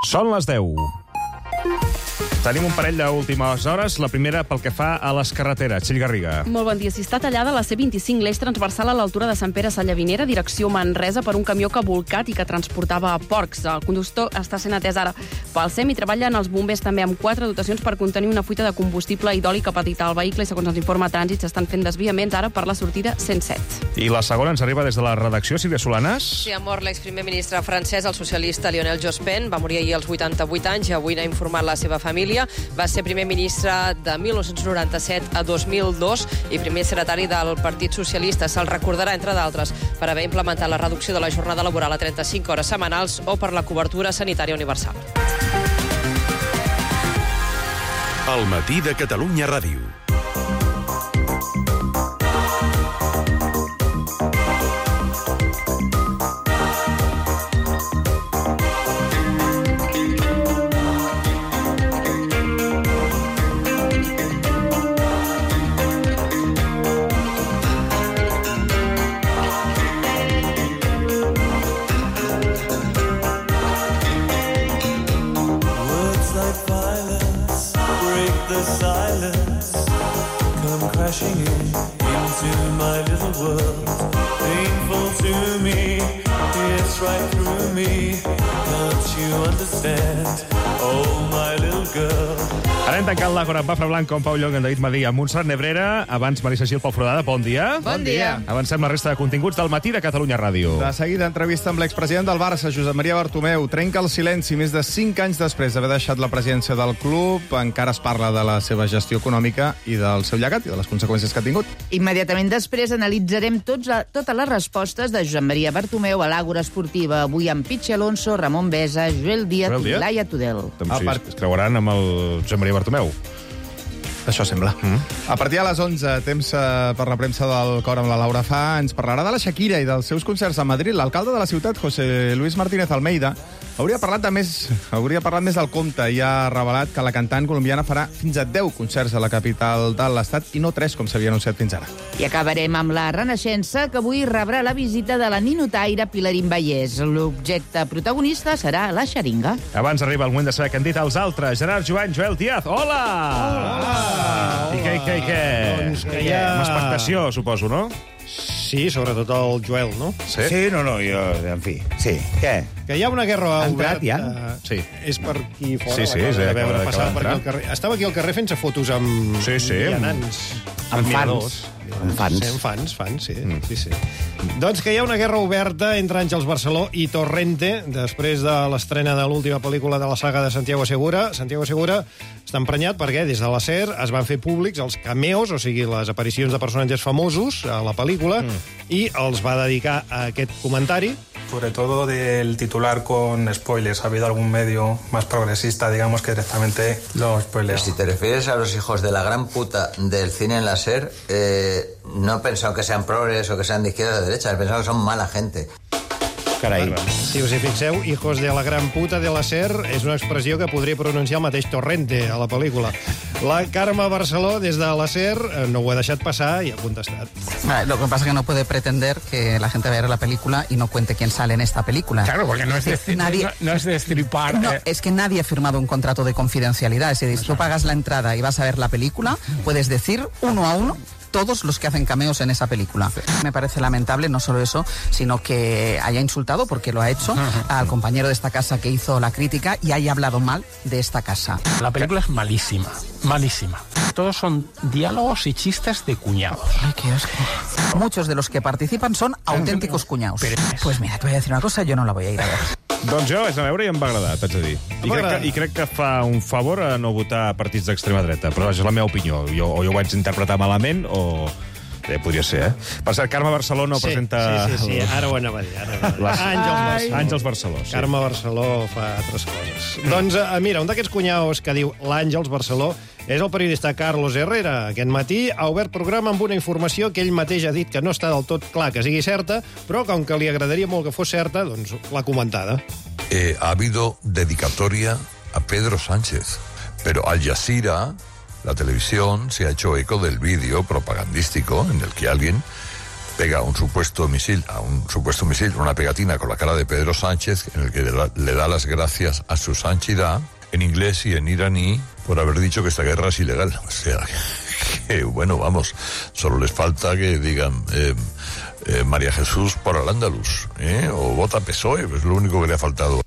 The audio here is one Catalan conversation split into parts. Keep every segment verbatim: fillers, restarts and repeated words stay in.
Són les deu. Tenim un parell d'últimes hores. La primera pel que fa a les carreteres. Txell Garriga. Molt bon dia. Si està tallada la C vint-i-cinc, l'eix transversal a l'altura de Sant Pere Sallavinera, direcció Manresa, per un camió que ha volcat i que transportava porcs. El conductor està sent atès ara pel S E M i treballen els bombers també amb quatre dotacions per contenir una fuita de combustible i d'oli que ha patit el vehicle i, segons ens informa Trànsit, s'estan fent desviaments ara per la sortida cent set. I la segona ens arriba des de la redacció, Sílvia Solanas. Sí, ha mort l'exprimer ministre francès, el socialista Lionel Jospin. Va morir ahir als vuitanta-vuit anys i avui n'ha informat la seva família. Va ser primer ministre de mil nou-cents noranta-set a dos mil dos i primer secretari del Partit Socialista. Se'l recordarà, entre d'altres, per haver implementat la reducció de la jornada laboral a trenta-cinc hores setmanals o per la cobertura sanitària universal. El matí de Catalunya Ràdio. Crashing in into my little world, painful to me, it's right through me, don't you understand, oh my little girl. Ara hem tancat l'Àgora amb Bafra Blanc, com Pau Llong, en David Madí, amb Montserrat Nebrera. Abans, Marisa Gil, Pol Foradada, bon dia. Bon dia. Avancem la resta de continguts del matí de Catalunya Ràdio. De seguida, entrevista amb l'expresident del Barça, Josep Maria Bartomeu. Trenca el silenci més de cinc anys després d'haver deixat la presidència del club. Encara es parla de la seva gestió econòmica i del seu llegat i de les conseqüències que ha tingut. Immediatament després analitzarem tots, totes les respostes de Josep Maria Bartomeu a l'Àgora Esportiva, avui amb Pichi Alonso, Ramon Besa, Joel Díaz Joel i Díaz? Laia Tudel. Doncs sí, es creuaran amb el Josep Maria Bartomeu. Això sembla. Mm. A partir de les onze, temps eh, per la premsa del Cor amb la Laura Fa, ens parlarà de la Shakira i dels seus concerts a Madrid. L'alcalde de la ciutat, José Luis Martínez Almeida, hauria parlat, de més, hauria parlat més del compte i ha revelat que la cantant colombiana farà fins a deu concerts a la capital de l'Estat i no tres, com s'havia anunciat fins ara. I acabarem amb la Renaixença, que avui rebrà la visita de la ninotaire Pilarín Vallès. L'objecte protagonista serà la xeringa. Abans arriba el moment de saber què han dit els altres. Gerard Joan, Joel Díaz, hola! Hola! I què, i què, i què? Doncs que hi ha... Una expectació, suposo, no? Sí, sobretot el Joel, no? Sí? Sí, no, no, jo, en fi, sí. Què? Que hi ha una guerra Ha entrat, oberta. ja? Sí. És per aquí fora. Sí, sí, l'acabo sí, de acaba veure de- passar acaba per aquí al d'entrar. carrer. Estava aquí al carrer fent-se fotos amb Sí, sí. vianants. Amb admiradors. fans. Amb fans. Sí, amb fans, fans, sí. Mm. sí, sí. Doncs que hi ha una guerra oberta entre Àngels Barceló i Torrente després de l'estrena de l'última pel·lícula de la saga de Santiago Segura. Santiago Segura està emprenyat perquè des de la SER es van fer públics els cameos, o sigui, les aparicions de personatges famosos a la pel·lícula, mm. i els va dedicar a aquest comentari. Sobre todo del titular con spoilers. ¿Ha habido algún medio más progresista, digamos, que directamente lo spoilea? Si te refieres a los hijos de la gran puta del cine en la SER, eh, no he pensado que sean progres o que sean de izquierda o de derecha, he pensado que son mala gente. Carai. Si us hi fixeu, hijos de la gran puta de la SER és una expressió que podria pronunciar el mateix Torrente a la pel·lícula. La Carme Barceló, des de la SER, no ho ha deixat passar i ha contestat. Lo que pasa es que no puede pretender que la gente vaya a ver la película y no cuente quién sale en esta película. Claro, porque no es, destri Nadie- no, no es destripar. No, eh. es que nadie ha firmado un contrato de confidencialidad. Es decir, si tú pagas la entrada y vas a ver la película, puedes decir uno a uno todos los que hacen cameos en esa película. Me parece lamentable, no solo eso, sino que haya insultado, porque lo ha hecho, al compañero de esta casa que hizo la crítica y haya hablado mal de esta casa. La película es malísima, malísima. Todos son diálogos y chistes de cuñados. Ay, qué asco. Muchos de los que participan son auténticos cuñados. Pues mira, te voy a decir una cosa, yo no la voy a ir a ver. Doncs jo vaig anar a veure i em va agradar, t'haig de dir. I crec, que, I crec que fa un favor a no votar partits d'extrema dreta, però és la meva opinió. Jo, o jo ho vaig interpretar malament o... Bé, podria ser, eh? Per cert, Carme Barceló no Sí, presenta... sí, sí, sí, ara ho anava a dir. Ara ho anava a dir. Les... Àngels Barceló. Àngels Barceló, sí. Carme Barceló fa altres coses. Mm. Doncs, eh, mira, un d'aquests cunyaus que diu l'Àngels Barceló és el periodista Carlos Herrera. Aquest matí ha obert programa amb una informació que ell mateix ha dit que no està del tot clar que sigui certa, però com que li agradaria molt que fos certa, doncs l'ha comentada. Eh, ha habido dedicatoria a Pedro Sánchez, pero Al Jazeera, la televisión, se ha hecho eco del vídeo propagandístico en el que alguien pega un supuesto misil, a un supuesto misil, una pegatina con la cara de Pedro Sánchez, en el que le da las gracias a su santidad, en inglés y en iraní, por haber dicho que esta guerra es ilegal. O sea, que, bueno, vamos, solo les falta que digan eh, eh, María Jesús por al-Ándalus, ¿eh? O vota P S O E, es lo único que le ha faltado.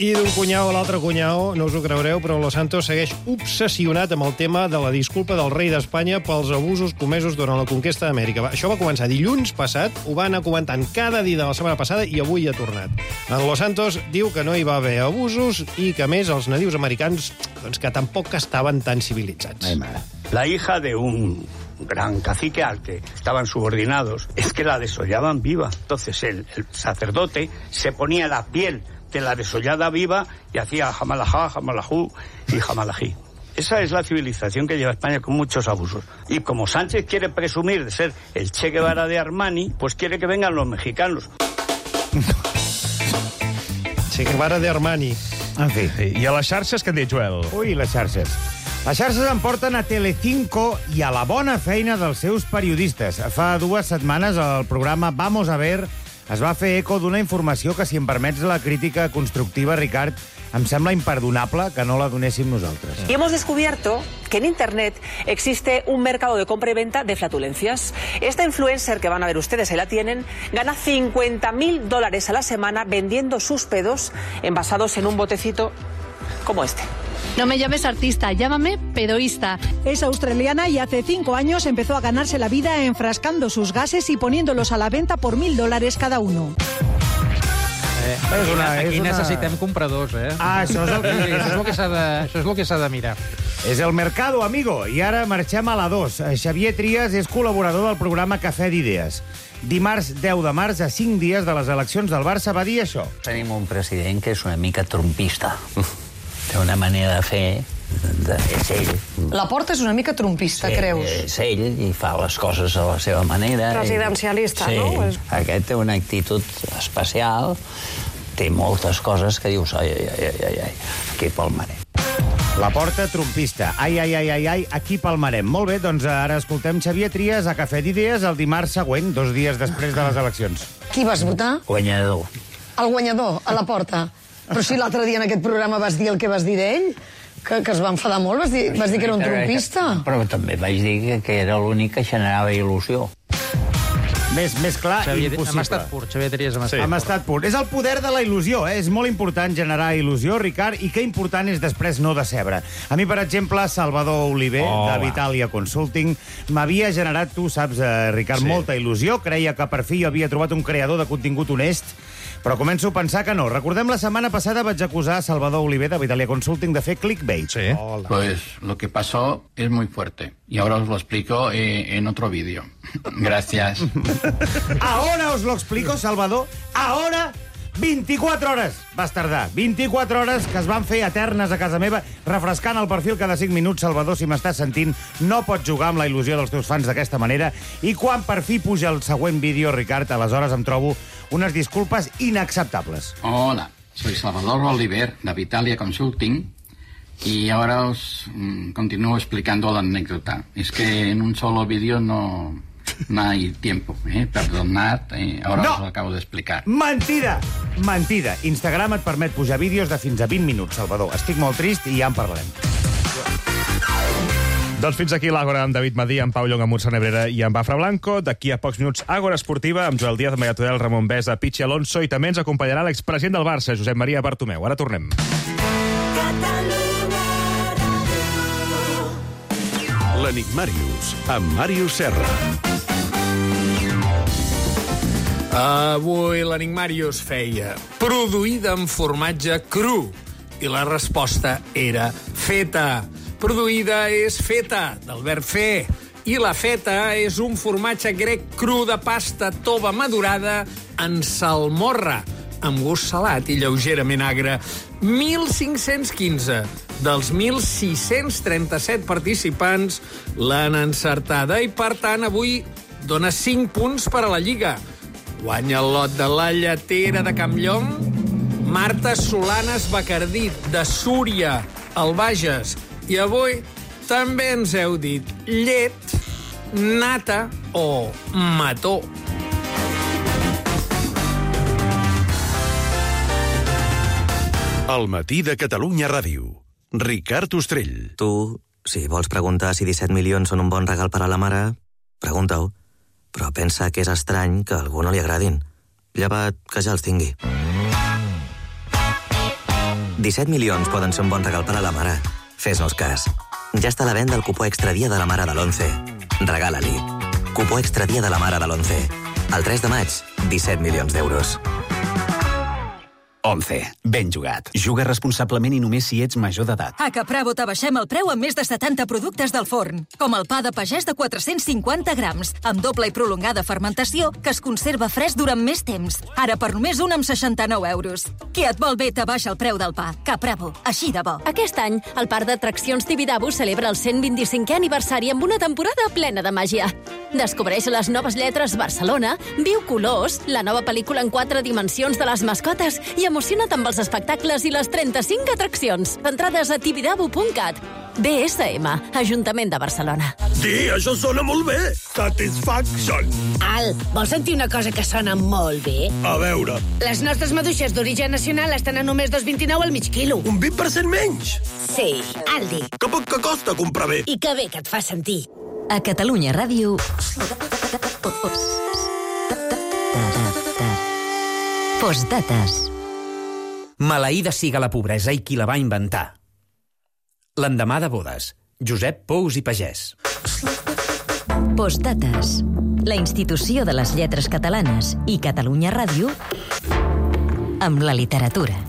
I d'un cunyau a l'altre cunyau, no us ho creureu, però Los Santos segueix obsessionat amb el tema de la disculpa del rei d'Espanya pels abusos comesos durant la conquesta d'Amèrica. Això va començar dilluns passat, ho va anar comentant cada dia de la setmana passada i avui ha tornat. En Los Santos diu que no hi va haver abusos i que, a més, els nadius americans doncs, que tampoc estaven tan civilitzats. La hija de un gran cacique al que estaban subordinados es que la desollaban viva. Entonces el, el sacerdote se ponía la piel de la desollada viva y hacía jamalajá, jamalajú y jamalají. Esa es la civilización que lleva España con muchos abusos. Y como Sánchez quiere presumir de ser el Che Guevara de Armani, pues quiere que vengan los mexicanos. Che Guevara de Armani. En fi. I a les xarxes, què en diu, Joel? Ui, les xarxes. Les xarxes em porten a Telecinco i a la bona feina dels seus periodistes. Fa dues setmanes el programa Vamos a ver es va fer eco d'una informació que, si em permets la crítica constructiva, Ricard, em sembla imperdonable que no la donéssim nosaltres. Y hemos descubierto que en Internet existe un mercado de compra y venta de flatulencias. Esta influencer que van a ver ustedes, ahí la tienen, gana cincuenta mil dólares a la semana vendiendo sus pedos envasados en un botecito como este. No me llames artista, llámame pedoísta. Es australiana y hace cinco años empezó a ganarse la vida enfrascando sus gases y poniéndolos a la venta por mil dólares cada uno. Eh, és una, aquí és una... necessitem compradors, eh? Ah, això és el que, això és el que s'ha de, això és el que s'ha de mirar. És el mercado, amigo. I ara marxem a la dos. Xavier Trias és col·laborador del programa Cafè d'Idees. Dimarts deu de març, a cinc dies de les eleccions del Barça, va dir això. Tenim un president que és una mica trompista. Té una manera de fer, de és ell. La Porta és una mica trompista, sí, creus? És ell i fa les coses a la seva manera. Presidencialista, sí, no? Aquest té una actitud especial, té moltes coses que dius, ai, ai, ai, ai, ai, aquí palmarem. La Porta trompista. Ai, ai, ai, ai, ai, aquí palmarem. Molt bé, doncs ara escoltem Xavier Trias a Cafè d'Idees el dimarts següent, dos dies després de les eleccions. Qui vas votar? Guanyador. El guanyador, a la Porta. Però si l'altre dia en aquest programa vas dir el que vas dir d'ell, que, que es va enfadar molt, vas dir, vas dir que era un trompista. Però també vaig dir que, que era l'únic que generava il·lusió. Més, més clar, Xavier, impossible. Hem estat pur, Xavier Trias, hem estat sí. pur. Hem estat pur. És el poder de la il·lusió, eh? És molt important generar il·lusió, Ricard, i que important és després no decebre. A mi, per exemple, Salvador Oliver, oh, de Vitalia Consulting, m'havia generat, tu saps, eh, Ricard, sí. molta il·lusió. Creia que per fi havia trobat un creador de contingut honest, però començo a pensar que no. Recordem, la setmana passada vaig acusar a Salvador Oliver de Vitalia Consulting de fer clickbait. Sí. Hola. Pues lo que pasó es muy fuerte. Y ahora os lo explico eh, en otro vídeo. Gracias. Ahora os lo explico, Salvador. Ahora, vint-i-quatre hores vas tardar. vint-i-quatre hores que es van fer eternes a casa meva, refrescant el perfil cada cinc minuts. Salvador, si m'estàs sentint, no pots jugar amb la il·lusió dels teus fans d'aquesta manera. I quan per fi puja el següent vídeo, Ricard, aleshores em trobo unes disculpes inacceptables. Hola, soy Salvador Oliver de Vitalia Consulting y ahora os mm, continúo explicando la anécdota. Es que en un solo vídeo no, no hay tiempo, ¿eh? Perdonad, eh, ahora no. Os lo acabo de explicar. Mentida! Mentida! Instagram et permet pujar vídeos de fins a vint minuts, Salvador. Estic molt trist i ja en parlarem. Doncs fins aquí l'Àgora amb David Madí, amb Pau Llong, amb Mursa Nebrera i amb Bafra Blanco. D'aquí a pocs minuts, Àgora Esportiva, amb Joel Díaz, Maria Tudel, Ramon Besa, Pichi Alonso, i també ens acompanyarà l'expresident del Barça, Josep Maria Bartomeu. Ara tornem. L'Enigmàrius, amb Màrius Serra. Avui l'Enigmàrius feia produïda en formatge cru i la resposta era feta. Produïda és feta, del verb fer, i la feta és un formatge grec cru de pasta tova madurada en salmorra, amb gust salat i lleugerament agre. mil cinc-cents quinze dels mil sis-cents trenta-set participants l'han encertada i, per tant, avui dona cinc punts per a la Lliga. Guanya el lot de la Lletera de Campllong, Marta Solanes Bacardí, de Súria, al Bages. I avui també ens heu dit llet, nata o mató. El matí de Catalunya Ràdio. Ricard Ostrell. Tu, si vols preguntar si disset milions són un bon regal per a la mare, pregunta-ho. Però pensa que és estrany que a algú no li agradin. Llevat que ja els tingui. disset milions poden ser un bon regal per a la mare. Fes-nos cas. Ja està a la venda el cupó extra dia de la mare de l'onze. Regala-li. Cupó extra dia de la mare de l'onze. El tres de maig, disset milions d'euros. onze. Ben jugat. Juga responsablement i només si ets major d'edat. A Capravo t'abaixem el preu amb més de setanta productes del forn, com el pa de pagès de quatre-cents cinquanta grams, amb doble i prolongada fermentació, que es conserva fresc durant més temps. Ara per només un amb seixanta-nou euros. Qui et vol bé t'abaixa el preu del pa. Capravo, així de bo. Aquest any, el Parc d'Atraccions Tibidabo celebra el cent vint-i-cinquè aniversari amb una temporada plena de màgia. Descobreix les noves lletres Barcelona, viu colors, la nova pel·lícula en quatre dimensions de les mascotes i emociona't amb els espectacles i les trenta-cinc atraccions. Entrades a tibidabo punt cat. B S M, Ajuntament de Barcelona. Sí, això sona molt bé. Satisfaction. Al, vols sentir una cosa que sona molt bé? A veure. Les nostres maduixes d'origen nacional estan a només dos coma vint-i-nou al mig quilo. Un vint per cent menys? Sí, Aldi. Que poc que costa comprar bé. I que bé que et fa sentir. A Catalunya Ràdio... Postdates. Maleïda siga la pobresa i qui la va inventar. L'endemà de bodes. Josep Pous i Pagès. Postdates. La institució de les lletres catalanes i Catalunya Ràdio amb la literatura.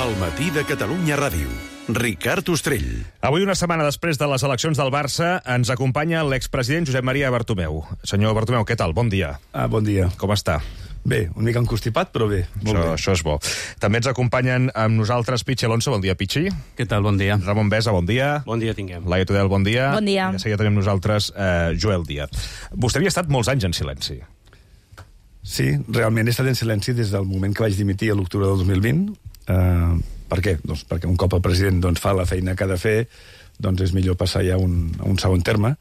El matí de Catalunya Ràdio. Ricard Ostrell. Avui, una setmana després de les eleccions del Barça, ens acompanya l'expresident Josep Maria Bartomeu. Senyor Bartomeu, què tal? Bon dia. Ah, bon dia. Com està? Bé, una mica encostipat, però bé. Molt això, bé. Això és bo. També ens acompanyen amb nosaltres Pichi Alonso. Bon dia, Pichi. Què tal? Bon dia. Ramon Besa, bon dia. Bon dia tinguem. Laia Tudel, bon dia. Bon dia. I de seguida tenim nosaltres eh, Joel Díaz. Vostè havia estat molts anys en silenci. Sí, realment he estat en silenci des del moment que vaig dimitir a l'octubre del dos mil vint. Uh, per què? Doncs perquè un cop el president doncs, fa la feina que ha de fer, doncs és millor passar ja a un, a un segon terme.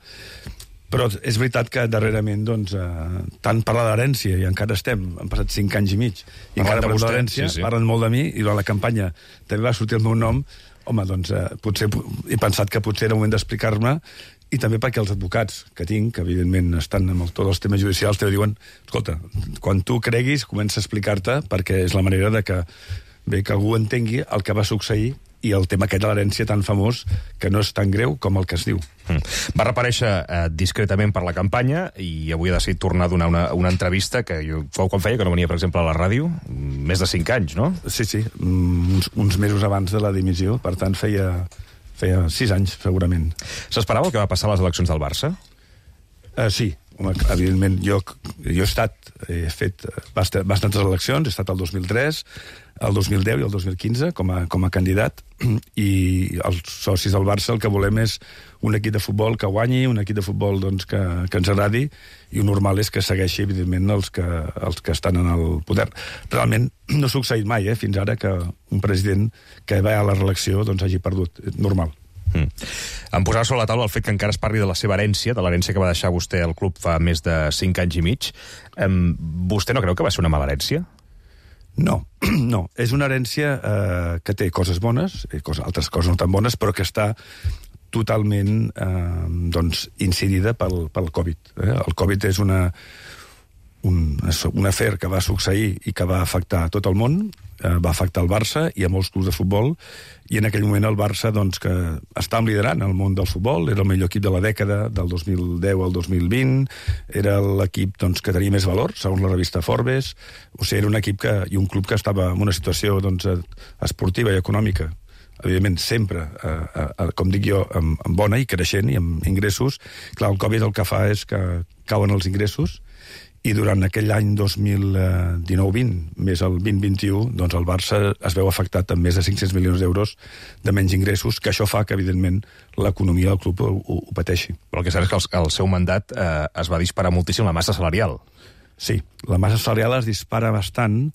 Però és veritat que darrerament doncs, eh, tant parlar d'herència, i encara estem, han passat cinc anys i mig, i encara parlen d'herència, sí, sí. Parlen molt de mi, i durant la campanya també va sortir el meu nom. Home, doncs eh, potser he pensat que potser era el moment d'explicar-me, i també perquè els advocats que tinc, que evidentment estan amb el, tots els temes judicials, te diuen, escolta, quan tu creguis, comença a explicar-te, perquè és la manera de que, bé, que algú entengui el que va succeir i el tema aquest de l'herència tan famós que no és tan greu com el que es diu. Mm. Va reparèixer eh, discretament per la campanya i avui ha decidit tornar a donar una, una entrevista que jo, fou quan feia que no venia, per exemple, a la ràdio, més de cinc anys, no? Sí, sí, uns, uns mesos abans de la dimissió, per tant feia, feia sis anys, segurament. S'esperava el que va passar a les eleccions del Barça? Uh, sí, home, evidentment, jo, jo he estat, he fet bastantes eleccions, he estat el dos mil tres, el dos mil deu i el dos mil quinze com a, com a candidat, i els socis del Barça el que volem és un equip de futbol que guanyi, un equip de futbol doncs, que, que ens agradi, i el normal és que segueixi, evidentment, els que, els que estan en el poder. Realment no ha succeït mai, eh, fins ara, que un president que va a la reelecció doncs, hagi perdut. Normal. Mm. Em posava sobre la taula el fet que encara es parli de la seva herència, de l'herència que va deixar vostè al club fa més de cinc anys i mig. Um, vostè no creu que va ser una mala herència? No, no. És una herència eh, que té coses bones, i coses, altres coses no tan bones, però que està totalment eh, doncs, incidida pel, pel Covid. Eh? El Covid és una, un, un afer que va succeir i que va afectar tot el món, eh, va afectar el Barça i a molts clubs de futbol, i en aquell moment el Barça, doncs, que estàvem liderant el món del futbol, era el millor equip de la dècada, del dos mil deu al dos mil vint, era l'equip doncs, que tenia més valor, segons la revista Forbes, o sigui, era un equip que, i un club que estava en una situació doncs, esportiva i econòmica, evidentment sempre, eh, eh, com dic jo, amb, amb bona i creixent i amb ingressos. Clar, el Covid el que fa és que cauen els ingressos, i durant aquell any dos mil dinou vint, més el vint vint-i-u, doncs el Barça es veu afectat amb més de cinc-cents milions d'euros de menys ingressos, que això fa que, evidentment, l'economia del club ho, ho, ho pateixi. Però el que cert és que el, el seu mandat eh, es va disparar moltíssim la massa salarial. Sí, la massa salarial es dispara bastant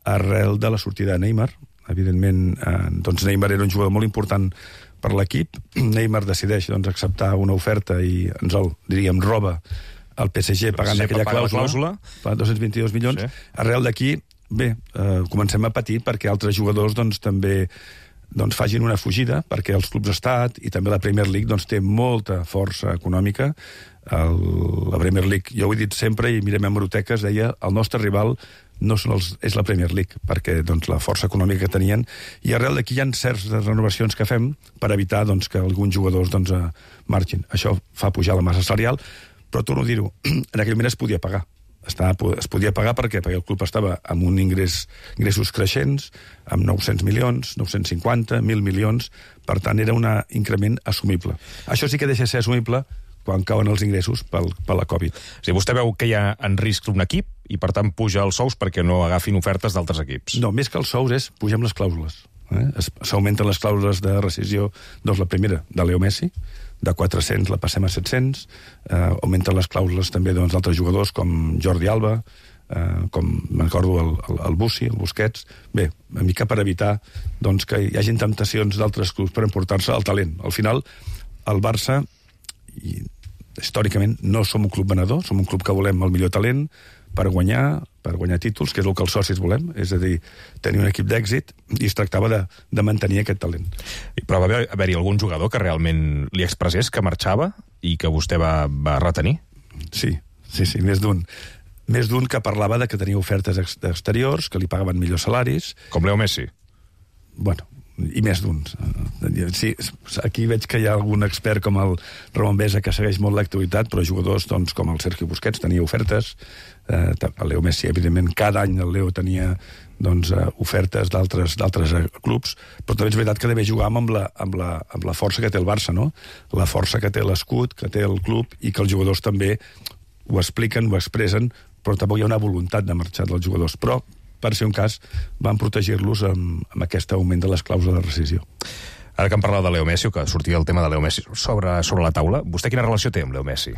arrel de la sortida de Neymar. Evidentment, eh, doncs Neymar era un jugador molt important per l'equip. Neymar decideix doncs, acceptar una oferta i ens el, diríem, roba el P S G pagant aquella clàusula, clàusula. dos cents vint-i-dos milions. Sí. Arrel d'aquí, bé, eh, comencem a patir perquè altres jugadors doncs, també doncs, facin una fugida, perquè els clubs estat i també la Premier League doncs, té molta força econòmica. El, la Premier League, jo ho he dit sempre, i mirem a hemeroteques, deia el nostre rival no són els, és la Premier League, perquè doncs, la força econòmica que tenien, i arrel d'aquí hi ha certes renovacions que fem per evitar doncs, que alguns jugadors doncs, marxin. Això fa pujar la massa salarial, però torno a dir-ho, en aquell moment es podia pagar. Estava, es podia pagar perquè, perquè el club estava amb un ingrés, ingressos creixents, amb nou-cents milions, nou-cents cinquanta, mil milions, per tant era un increment assumible. Això sí que deixa de ser assumible quan cauen els ingressos pel, per la Covid. O sigui, vostè veu que hi ha en risc un equip i, per tant, puja els sous perquè no agafin ofertes d'altres equips. No, més que els sous és pugem les clàusules. Eh? S'augmenten les clàusules de rescisió, doncs la primera, de Leo Messi, de quatre-cents la passem a set-cents, eh, augmenten les clàusules també doncs, d'altres jugadors com Jordi Alba, eh, com m'acordo el, el, el Bussi, el Busquets. Bé, una mica per evitar doncs, que hi hagin temptacions d'altres clubs per emportar-se el talent. Al final, el Barça, i, històricament, no som un club venedor, som un club que volem el millor talent per guanyar, per guanyar títols, que és el que els socis volem, és a dir, tenir un equip d'èxit, i es tractava de, de mantenir aquest talent. Però va haver-hi algun jugador que realment li expressés que marxava i que vostè va, va retenir? Sí, sí, sí, més d'un. Més d'un que parlava de que tenia ofertes exteriors, que li pagaven millors salaris. Com Leo Messi? Bueno, i més d'uns. Sí, aquí veig que hi ha algun expert com el Ramon Besa que segueix molt l'actualitat, però jugadors doncs, com el Sergio Busquets tenia ofertes, eh, el Leo Messi, evidentment, cada any el Leo tenia doncs, eh, ofertes d'altres clubs, però també és veritat que deve jugar amb la, amb, la, amb la força que té el Barça, no? La força que té l'escut, que té el club, i que els jugadors també ho expliquen, ho expressen, però tampoc hi ha una voluntat de marxar dels jugadors. Però per ser un cas, van protegir-los amb, amb aquest augment de les clàusules de rescisió. Ara que hem parlat de Leo Messi, o que sortia el tema de Leo Messi sobre, sobre la taula, vostè quina relació té amb Leo Messi?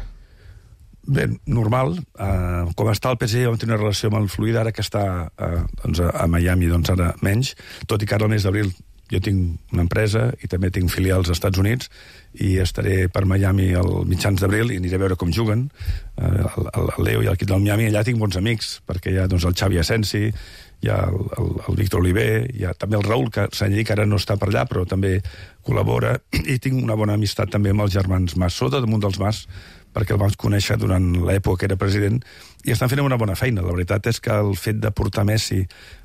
Bé, normal. Uh, com està el P S G, vam tenir una relació molt fluida, ara que està uh, doncs a, a Miami, doncs ara menys, tot i que ara al mes d'abril jo tinc una empresa i també tinc filials als Estats Units i estaré per Miami al mitjans d'abril i aniré a veure com juguen uh, el, el Leo i l'equip del Miami. Allà tinc bons amics, perquè hi ha doncs, el Xavi Asensi, hi ha el, el, el Víctor Oliver, hi ha també el Raúl, que s'ha dit que ara no està per allà, però també col·labora, i tinc una bona amistat també amb els germans Mas, sobretot damunt dels Mas, perquè el vam conèixer durant l'època que era president, i estan fent una bona feina. La veritat és que el fet de portar Messi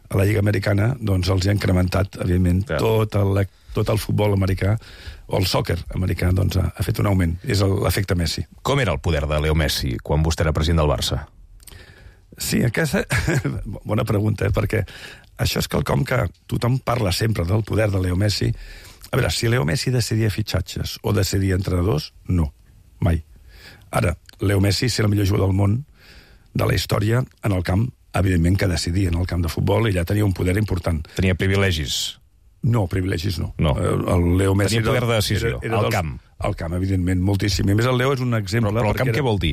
a la Lliga Americana doncs els ha incrementat, evidentment, ja. tot, el, tot el futbol americà, o el sòquer americà, doncs ha, ha fet un augment. És l'efecte Messi. Com era el poder de Leo Messi quan vostè era president del Barça? Sí, aquesta... bona pregunta, eh? Perquè això és quelcom que tothom parla sempre del poder de Leo Messi. A veure, si Leo Messi decidia fitxatges o decidia entrenadors, no, mai. Ara, Leo Messi, ser el millor jugador del món de la història en el camp, evidentment que decidia en el camp de futbol, i ja tenia un poder important. Tenia privilegis? No, privilegis no. no. El Leo Messi tenia poder de decisió, era, era al dels, camp. Al camp, evidentment, moltíssim. I a més, el Leo és un exemple... Però, però el camp era, què vol dir?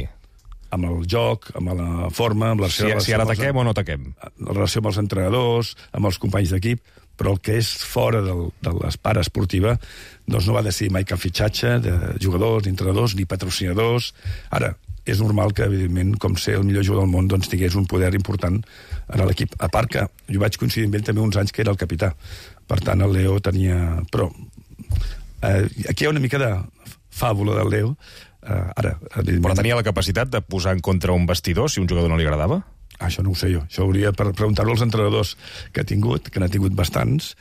Amb el joc, amb la forma... Amb la si, si ara ataquem o no ataquem? La relació amb els entrenadors, amb els companys d'equip, però el que és fora del, de l'espara esportiva doncs no va decidir mai cap fitxatge de jugadors, d'entrenadors, ni patrocinadors. Ara, és normal que, evidentment, com ser el millor jugador del món, doncs tingués un poder important en l'equip. A part que jo vaig coincidir amb ell també uns anys que era el capità. Per tant, el Leo tenia... Però eh, aquí hi ha una mica de fàbula del Leo. Eh, ara, Però tenia la capacitat de posar en contra un vestidor si un jugador no li agradava? Ah, això no ho sé jo. Això hauria per preguntar-ho als entrenadors que ha tingut, que n'ha tingut bastants,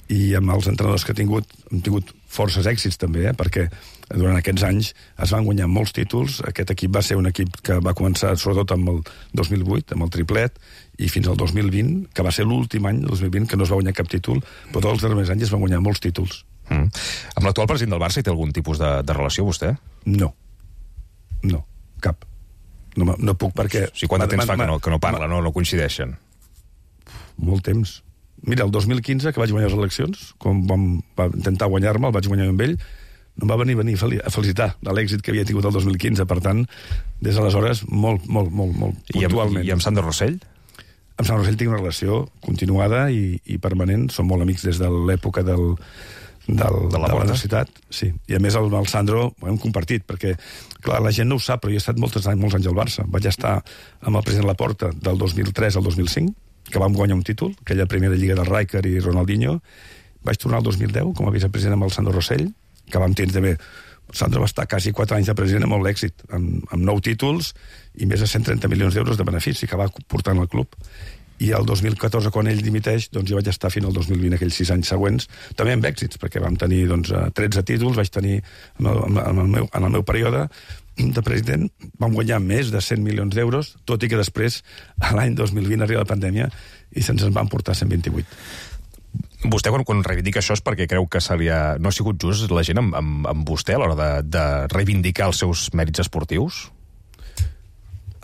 i amb els entrenadors que ha tingut, hem tingut forces èxits també, eh? Perquè durant aquests anys es van guanyar molts títols. Aquest equip va ser un equip que va començar sobretot amb el dos mil vuit, amb el triplet, i fins al dos mil vint, que va ser l'últim any, el dos mil vint, que no es va guanyar cap títol, però tots els darrers anys es van guanyar molts títols. Mm. Amb l'actual president del Barça hi té algun tipus de, de relació, vostè? No. No, cap. No, no puc perquè... O sigui, quant de temps fa que no, que no parla, no, no coincideixen? Molt temps. Mira, el dos mil quinze, que vaig guanyar les eleccions, quan vam, va intentar guanyar-me, el vaig guanyar amb ell, no em va venir, venir a felicitar de l'èxit que havia tingut el dos mil quinze. Per tant, des d'aleshores, molt, molt, molt, molt puntualment. I amb, i amb Sandro Rossell? Amb Sandro Rossell tinc una relació continuada i, i permanent. Som molt amics des de l'època del, del, de la, de la universitat, sí. I a més el, el Sandro ho hem compartit, perquè, clar, la gent no ho sap, però jo he estat molts anys, molts anys al Barça. Vaig estar amb el president Laporta del dos mil tres al dos mil cinc, que vam guanyar un títol, aquella primera lliga del Rijkaard i Ronaldinho. Vaig tornar el dos mil deu com a vicepresident amb el Sandro Rossell, que vam tenir també... El Sandro va estar quasi quatre anys de president amb molt èxit, amb, amb nou títols i més de cent trenta milions d'euros de benefici que va portant al club. I el dos mil catorze, quan ell dimiteix, doncs jo vaig estar fins al dos mil vint, aquells sis anys següents, també amb èxits, perquè vam tenir doncs, tretze títols, vaig tenir, en el, en el, meu, en el meu període de president, vam guanyar més de cent milions d'euros, tot i que després, a l'any dos mil vint, arriba la pandèmia i se'ns en van portar cent vint-i-vuit. Vostè, quan, quan reivindica això, és perquè creu que se li ha... no ha sigut just la gent amb, amb, amb vostè a l'hora de, de reivindicar els seus mèrits esportius?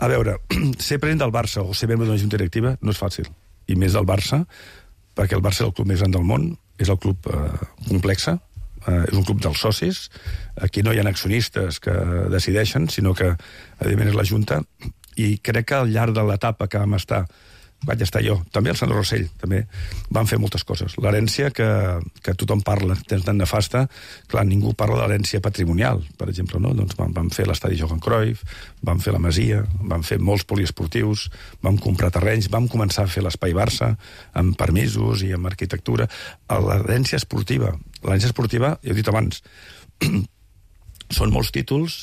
A veure, ser president del Barça o ser membre d'una junta directiva no és fàcil. I més del Barça, perquè el Barça és el club més gran del món, és el club eh, complexe, eh, és un club dels socis, aquí no hi ha accionistes que decideixen, sinó que, evidentment, és la junta, i crec que al llarg de l'etapa que vam estar, vaig estar jo, també el Sandro Rossell, també, van fer moltes coses. L'herència que, que tothom parla, és tan nefasta, clar, ningú parla de l'herència patrimonial, per exemple, no? Doncs vam, vam fer l'estadi Johan Cruyff, vam fer la Masia, vam fer molts poliesportius, vam comprar terrenys, vam començar a fer l'Espai Barça, amb permisos i amb arquitectura. L'herència esportiva, l'herència esportiva, ja he dit abans, són molts títols,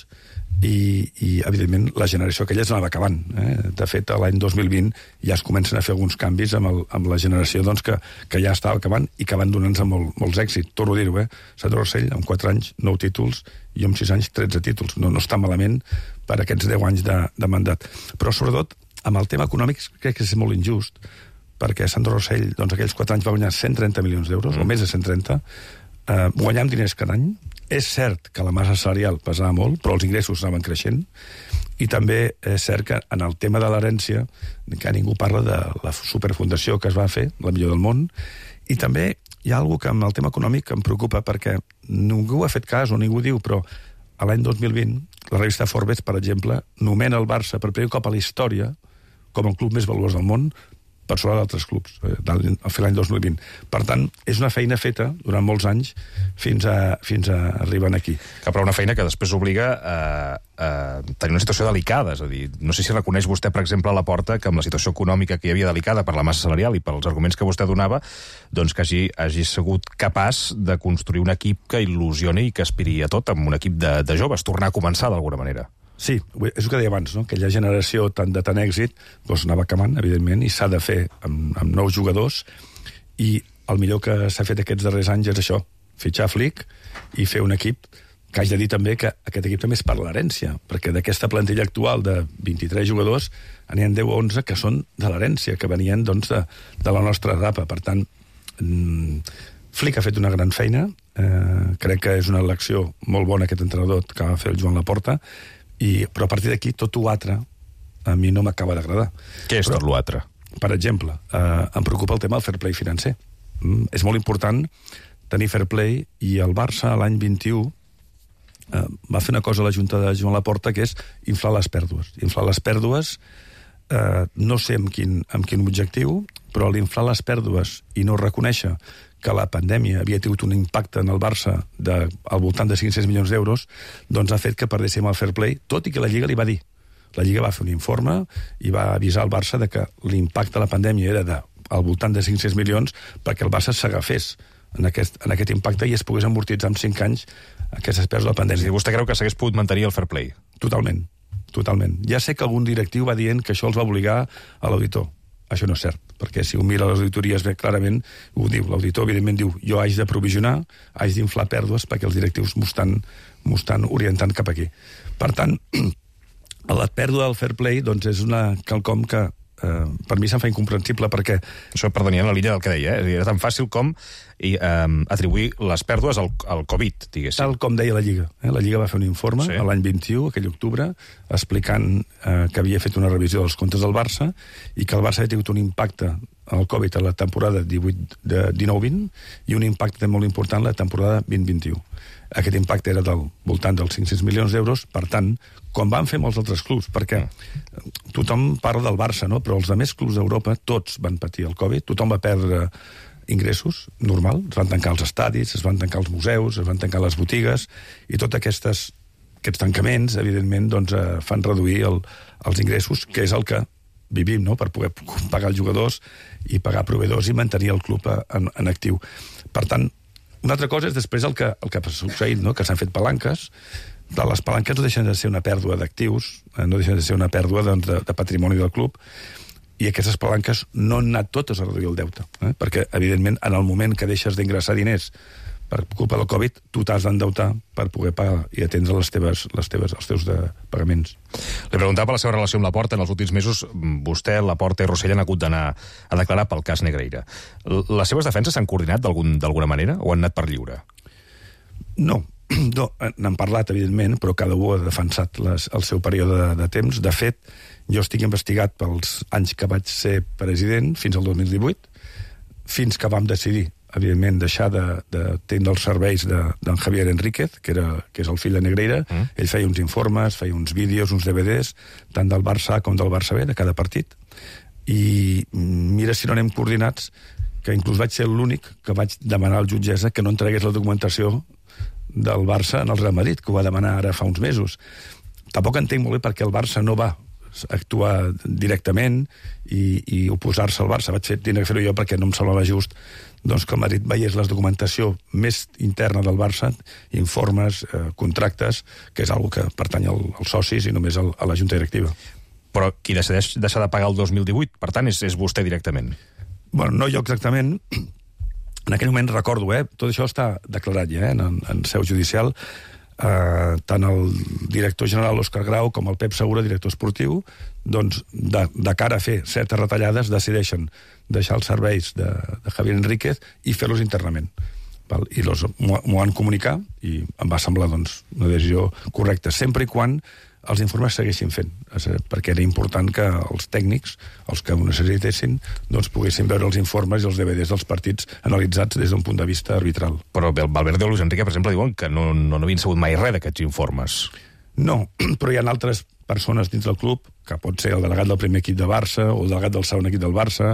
i, i evidentment la generació aquella es anava acabant, eh? De fet l'any dos mil vint ja es comencen a fer alguns canvis amb, el, amb la generació doncs, que, que ja estava acabant i que van donant-nos molt, molts èxits, torno a dir-ho, eh? Sandro Rossell amb quatre anys, nou títols, i amb sis anys, tretze títols, no, no està malament per aquests deu anys de, de mandat, però sobretot amb el tema econòmic crec que és molt injust, perquè Sandro Rossell doncs, aquells quatre anys va guanyar cent trenta milions d'euros, mm. o més de cent trenta, eh, guanyant diners cada any. És cert que la massa salarial pesava molt, però els ingressos anaven creixent, i també és cert que en el tema de l'herència, que ningú parla de la superfundació que es va fer, la millor del món, i també hi ha alguna que amb el tema econòmic em preocupa, perquè ningú ha fet cas o ningú diu, però a l'any dos mil vint, la revista Forbes, per exemple, nomena el Barça per primer cop a la història com el club més valuós del món, per sobre d'altres clubs, eh, a fer l'any dos mil vint. Per tant, és una feina feta durant molts anys fins a, fins a arribar aquí. Que però una feina que després obliga a, a tenir una situació delicada, és a dir, no sé si reconeix vostè, per exemple, a Laporta, que amb la situació econòmica que hi havia delicada per la massa salarial i pels arguments que vostè donava, doncs que hagi, hagi sigut capaç de construir un equip que il·lusioni i que aspiri a tot amb un equip de, de joves, tornar a començar d'alguna manera. Sí, és el que deia abans, no? Aquella generació tan de tant èxit doncs anava acabant, evidentment, i s'ha de fer amb, amb nous jugadors, i el millor que s'ha fet aquests darrers anys és això, fitxar Flick i fer un equip que haig de dir també que aquest equip també és per l'herència, perquè d'aquesta plantilla actual de vint-i-tres jugadors n'hi ha deu o onze que són de l'herència, que venien doncs, de, de la nostra etapa. Per tant, mmm, Flick ha fet una gran feina, eh, crec que és una elecció molt bona aquest entrenador que va fer el Joan Laporta, I, però a partir d'aquí tot l'altre a mi no m'acaba d'agradar. Què és però, tot l'altre? Per exemple, eh, em preocupa el tema del fair play financer. Mm, és molt important tenir fair play, i el Barça l'any vint-i-u eh, va fer una cosa a la Junta de Joan Laporta, que és inflar les pèrdues. Inflar les pèrdues, eh, no sé amb quin, amb quin objectiu, però l'inflar les pèrdues i no reconèixer que la pandèmia havia tingut un impacte en el Barça de, al voltant de cinc-cents milions d'euros, doncs ha fet que perdéssim el fair play, tot i que la Lliga li va dir. La Lliga va fer un informe i va avisar el Barça de que l'impacte de la pandèmia era de, al voltant de cinc-cents milions perquè el Barça s'agafés en aquest, en aquest impacte i es pogués amortitzar en cinc anys aquestes pèrdues de la pandèmia. És a dir, vostè creu que s'hagués pogut mantenir el fair play? Totalment, totalment. Ja sé que algun directiu va dient que això els va obligar a l'auditor. Això no és cert, perquè si un mira les auditories bé clarament, ho diu, l'auditor evidentment diu jo haig de provisionar, haig d'inflar pèrdues perquè els directius m'ho estan, m'ho estan orientant cap aquí. Per tant, la pèrdua del fair play doncs, és una quelcom que eh, per mi se'm fa incomprensible, perquè... Això, perdoni, en la línia del que deia, eh? Era tan fàcil com i, eh, atribuir les pèrdues al, al Covid, diguéssim. Tal com deia la Lliga. Eh? La Lliga va fer un informe sí. l'any vint-i-u, aquell octubre, explicant eh, que havia fet una revisió dels comptes del Barça i que el Barça havia tingut un impacte al Covid a la temporada dinou vint i un impacte molt important a la temporada vint vint-i-u. Aquest impacte era del voltant dels cinc-cents milions d'euros, per tant, com van fer molts altres clubs, perquè tothom parla del Barça, no? Però els altres clubs d'Europa, tots van patir el Covid, tothom va perdre ingressos, normal. Es van tancar els estadis, es van tancar els museus, es van tancar les botigues, i tots aquests, aquests tancaments, evidentment, doncs, eh, fan reduir el, els ingressos, que és el que vivim, no?, per poder pagar els jugadors i pagar proveïdors i mantenir el club en, en actiu. Per tant, una altra cosa és després el que, el que ha succeït, no?, que s'han fet palanques. Les palanques no deixen de ser una pèrdua d'actius, no deixen de ser una pèrdua, doncs, de, de patrimoni del club, i aquestes palanques no han anat totes a reduir el deute, eh? Perquè, evidentment, en el moment que deixes d'ingressar diners per culpa del Covid, tu t'has d'endeutar per poder pagar i atendre les teves, les teves, els teus de pagaments. Li preguntava per la seva relació amb Laporta. En els últims mesos, vostè, Laporta i Rossell han hagut d'anar a declarar pel cas Negreira. Les seves defenses s'han coordinat d'alguna manera o han anat per lliure? No. No, n'han parlat, evidentment, però cada un ha defensat les, el seu període de, de temps. De fet, jo estic investigat pels anys que vaig ser president, fins al dos mil divuit, fins que vam decidir, evidentment, deixar d'atendre de, els serveis d'en de, Javier Enríquez, que, era, que és el fill de Negreira. Mm. Ell feia uns informes, feia uns vídeos, uns D V Ds, tant del Barça A com del Barça B, de cada partit. I mira si no anem coordinats, que inclús vaig ser l'únic que vaig demanar al jutgessa que no entregués la documentació del Barça en el Real Madrid, que ho va demanar ara fa uns mesos. Tampoc entenc molt bé perquè el Barça no va actuar directament i, i oposar-se al Barça. Vaig fer, tenir que fer-ho jo perquè no em semblava just, doncs, que el Madrid veiés la documentació més interna del Barça, informes, eh, contractes, que és una que pertany al, als socis i només al, a la Junta Directiva. Però qui decideix deixar de pagar el dos mil divuit, per tant, és, és vostè directament? Bueno, no jo exactament. En aquell moment recordo, eh, tot això està declarat ja, eh, en, en seu judicial. Eh, tant el director general Òscar Grau com el Pep Segura, director esportiu, doncs, de, de cara a fer certes retallades, decideixen deixar els serveis de, de Javier Enríquez i fer-los internament. Val? I m'ho han comunicat i em va semblar, doncs, una decisió correcta, sempre i quan els informes segueixin fent, perquè era important que els tècnics, els que ho necessitessin, doncs poguessin veure els informes i els D V Ds dels partits analitzats des d'un punt de vista arbitral. Però Valverde o Luis Enrique, per exemple, diuen que no, no, no havien sabut mai res d'aquests informes. No, però hi ha altres persones dins del club, que pot ser el delegat del primer equip de Barça, o el delegat del segon equip del Barça,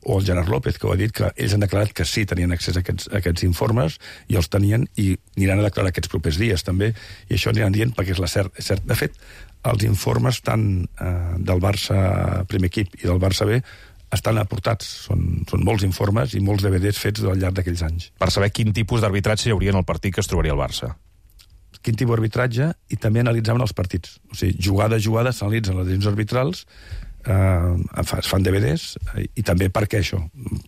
o el Gerard López, que ho ha dit, que ells han declarat que sí tenien accés a aquests, a aquests informes, i els tenien, i aniran a declarar aquests propers dies, també, i això aniran dient perquè és la cert. És cert. De fet, els informes tant eh, del Barça primer equip i del Barça B estan aportats. Són, són molts informes i molts D V Ds fets al llarg d'aquells anys. Per saber quin tipus d'arbitratge hi hauria en el partit que es trobaria el Barça. Quin tipus d'arbitratge, i també analitzaven els partits. O sigui, jugada a jugada s'analitzen les decisions arbitrals, eh, es fan D V Ds, eh, i també per què això?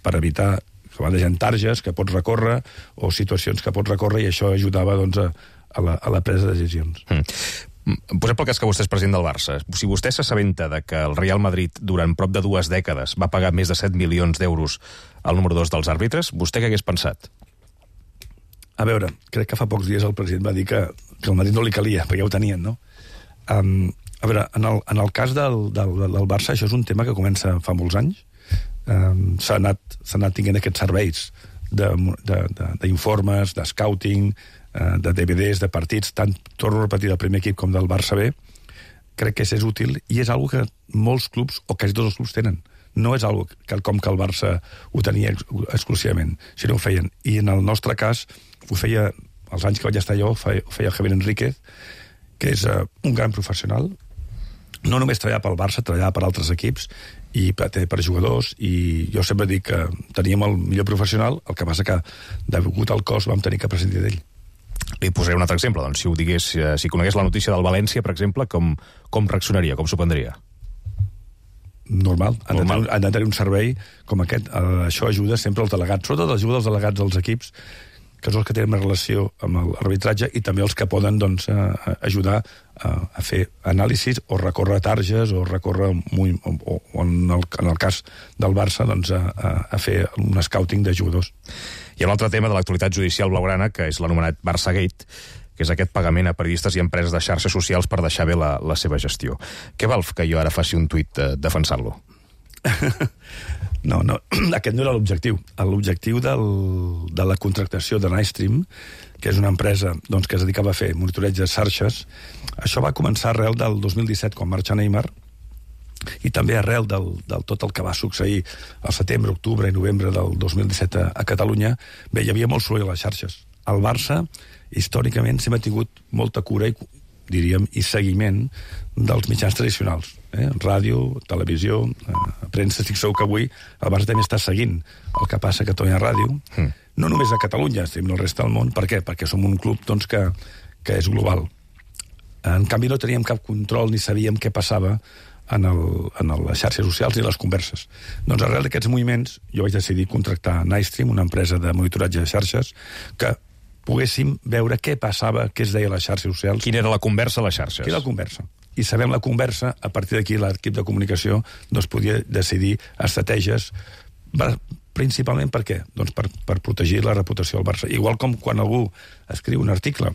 Per evitar que van deixant targes que pots recórrer o situacions que pots recórrer, i això ajudava, doncs, a, a, la, a la presa de decisions. Mm. Posem pel cas que vostè és president del Barça. Si vostè s'assabenta de que el Real Madrid durant prop de dues dècades va pagar més de set milions d'euros al número dos dels àrbitres, vostè què hagués pensat? A veure, crec que fa pocs dies el president va dir que, que el Madrid no li calia, perquè ja ho tenien, no? Um, a veure, en el, en el cas del, del, del Barça, això és un tema que comença fa molts anys. Um, s'ha anat, s'ha anat tinguent aquests serveis d'informes, de, de, de scouting, uh, de D V Ds, de partits, tant, torno a repetir, del primer equip com del Barça B. Crec que és útil, i és una que molts clubs, o quasi tots els clubs, tenen. No és algo que, com que el Barça ho tenia exclusivament, sinó ho feien. I en el nostre cas, ho feia, els anys que vaig estar jo, ho feia, ho feia Javier Enríquez, que és uh, un gran professional. No només treballava pel Barça, treballava per altres equips, i per, per jugadors, i jo sempre dic que teníem el millor professional, el que passa que, degut al cost, vam tenir que prescindir d'ell. Li posaré un altre exemple. Doncs, si ho digués, si conegués la notícia del València, per exemple, com, com reaccionaria, com s'ho prendria? Normal. Han, Normal. De tenir, han de tenir un servei com aquest. Uh, això ajuda sempre als delegats, sobretot ajuda als delegats dels equips, que són els que tenen més relació amb l'arbitratge, i també els que poden, doncs, uh, ajudar uh, a fer anàlisis o recórrer targes o recórrer muy, o, o, o en, el, en el cas del Barça, doncs, a, a fer un scouting de jugadors. Hi ha un altre tema de l'actualitat judicial blaugrana, que és l'anomenat Barçagate, que és aquest pagament a periodistes i empreses de xarxes socials per deixar bé la, la seva gestió. Què val que jo ara faci un tuit eh, defensant-lo? No, no, aquest no era l'objectiu. L'objectiu del, de la contractació de Nightstream, que és una empresa, doncs, que es dedicava a fer monitoreig de xarxes, això va començar arrel del dos mil disset, quan marxa Neymar, i també arrel del, del tot el que va succeir al setembre, octubre i novembre del dos mil disset a, a Catalunya, bé, hi havia molt soroll a les xarxes. El Barça, històricament, sempre ha tingut molta cura i, diríem, i seguiment dels mitjans tradicionals. Eh? Ràdio, televisió, eh, premsa. Estic segur que avui el Barça també està seguint el que passa a Catalunya Ràdio. Mm. No només a Catalunya, sinó al resta del món. Per què? Perquè som un club doncs, que, que és global. En canvi, no teníem cap control ni sabíem què passava en, el, en les xarxes socials i les converses. Doncs arrel d'aquests moviments jo vaig decidir contractar Nightstream, una empresa de monitoratge de xarxes, que poguéssim veure què passava, què es deia a les xarxes socials. Quina era la conversa a les xarxes? Quina era la conversa. I sabem la conversa, a partir d'aquí l'equip de comunicació doncs, podia decidir estratègies, principalment per què? Doncs per, per protegir la reputació del Barça. Igual com quan algú escriu un article,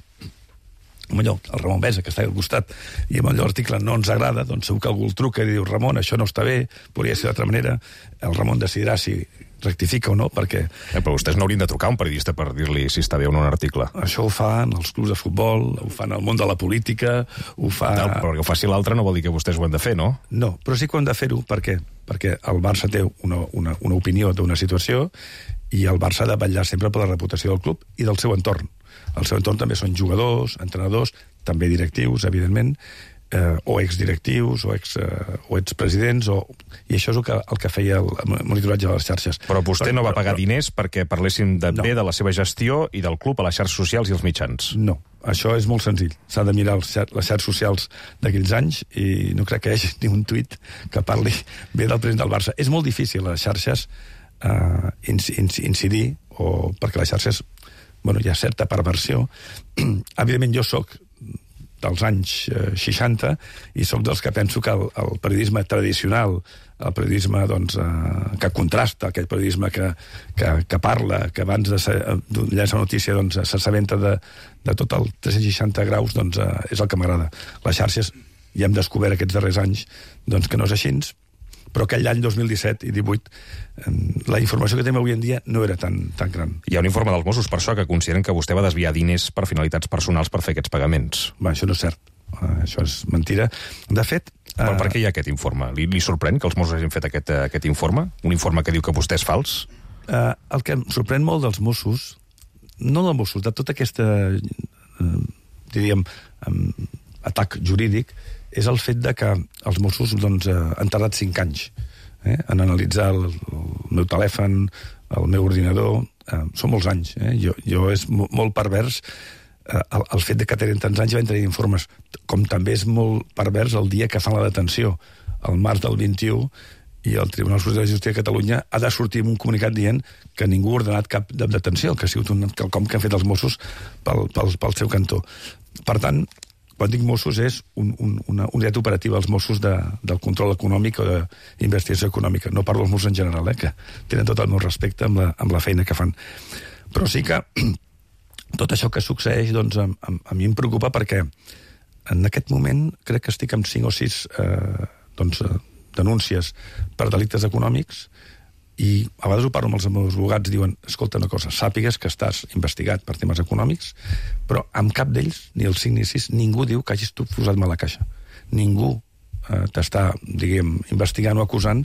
amb allò, el Ramon Besa, que està al costat, i amb allò l'article no ens agrada, doncs segur que algú el truca i diu, Ramon, això no està bé, podria ser d'altra manera, el Ramon decidirà si rectifica o no, perquè... Eh, però vostès no haurien de trucar a un periodista per dir-li si està bé o no un article. Això ho fan els clubs de futbol, ho fan el món de la política, ho fa... No, però que ho faci l'altre no vol dir que vostès ho han de fer, no? No, però sí que ho han de fer-ho, per què? Perquè el Barça té una, una, una opinió d'una situació i el Barça ha de vetllar sempre per la reputació del club i del seu entorn. El seu entorn també són jugadors, entrenadors, també directius, evidentment, eh, o exdirectius, o, ex, eh, o expresidents, o... i això és el que, el que feia el monitoratge de les xarxes. Però vostè però, no va pagar però, diners perquè parlessin de no. bé de la seva gestió i del club a les xarxes socials i els mitjans? No, això és molt senzill. S'ha de mirar els, les xarxes socials d'aquells anys i no crec que hi hagi ni un tuit que parli bé del president del Barça. És molt difícil a les xarxes eh, incidir, o perquè les xarxes... Bueno, hi ha certa perversió. Evidentment, jo sóc dels anys eh, seixanta i sóc dels que penso que el, el periodisme tradicional, el periodisme doncs, eh, que contrasta, aquell periodisme que, que, que parla, que abans de llançar una notícia doncs, s'assabenta de, de tot el tres cents seixanta graus, doncs, eh, és el que m'agrada. Les xarxes, ja hem descobert aquests darrers anys doncs, que no és així, però aquell any dos mil disset i divuit la informació que tenim avui en dia no era tan, tan gran. Hi ha un informe dels Mossos per això que consideren que vostè va desviar diners per finalitats personals per fer aquests pagaments. Va, això no és cert. Uh, això és mentira. De fet... Uh... Però per què hi ha aquest informe? Li, li sorprèn que els Mossos hagin fet aquest, uh, aquest informe? Un informe que diu que vostè és fals? Uh, el que em sorprèn molt dels Mossos, no dels Mossos, de tota aquesta, uh, diríem, um, atac jurídic, és el fet de que els Mossos doncs, eh, han tardat cinc anys eh, en analitzar el, el meu telèfon, el meu ordinador. Eh, són molts anys. Eh? Jo, jo és molt pervers eh, el, el fet de que tenen tants anys i van tenir informes. Com també és molt pervers el dia que fan la detenció, el març del vint-i-u, i el Tribunal Superior de Justícia de Catalunya ha de sortir amb un comunicat dient que ningú ha ordenat cap de detenció, que ha sigut un quelcom que han fet els Mossos pel, pel, pel seu cantó. Per tant, quan dic Mossos és un, un, una unitat operativa als Mossos de, del control econòmic o d'investigació econòmica. No parlo dels Mossos en general, eh, que tenen tot el meu respecte amb la, amb la feina que fan. Però sí que tot això que succeeix doncs, a, a, a mi em preocupa perquè en aquest moment crec que estic amb cinc o sis eh, doncs, denúncies per delictes econòmics i a vegades ho parlo amb els meus advocats, diuen, escolta una cosa, sàpigues que estàs investigat per temes econòmics, però amb cap d'ells, ni el cinc ni sis, ningú diu que hagis tu posat mal a caixa. Ningú eh, t'està, diguem, investigant o acusant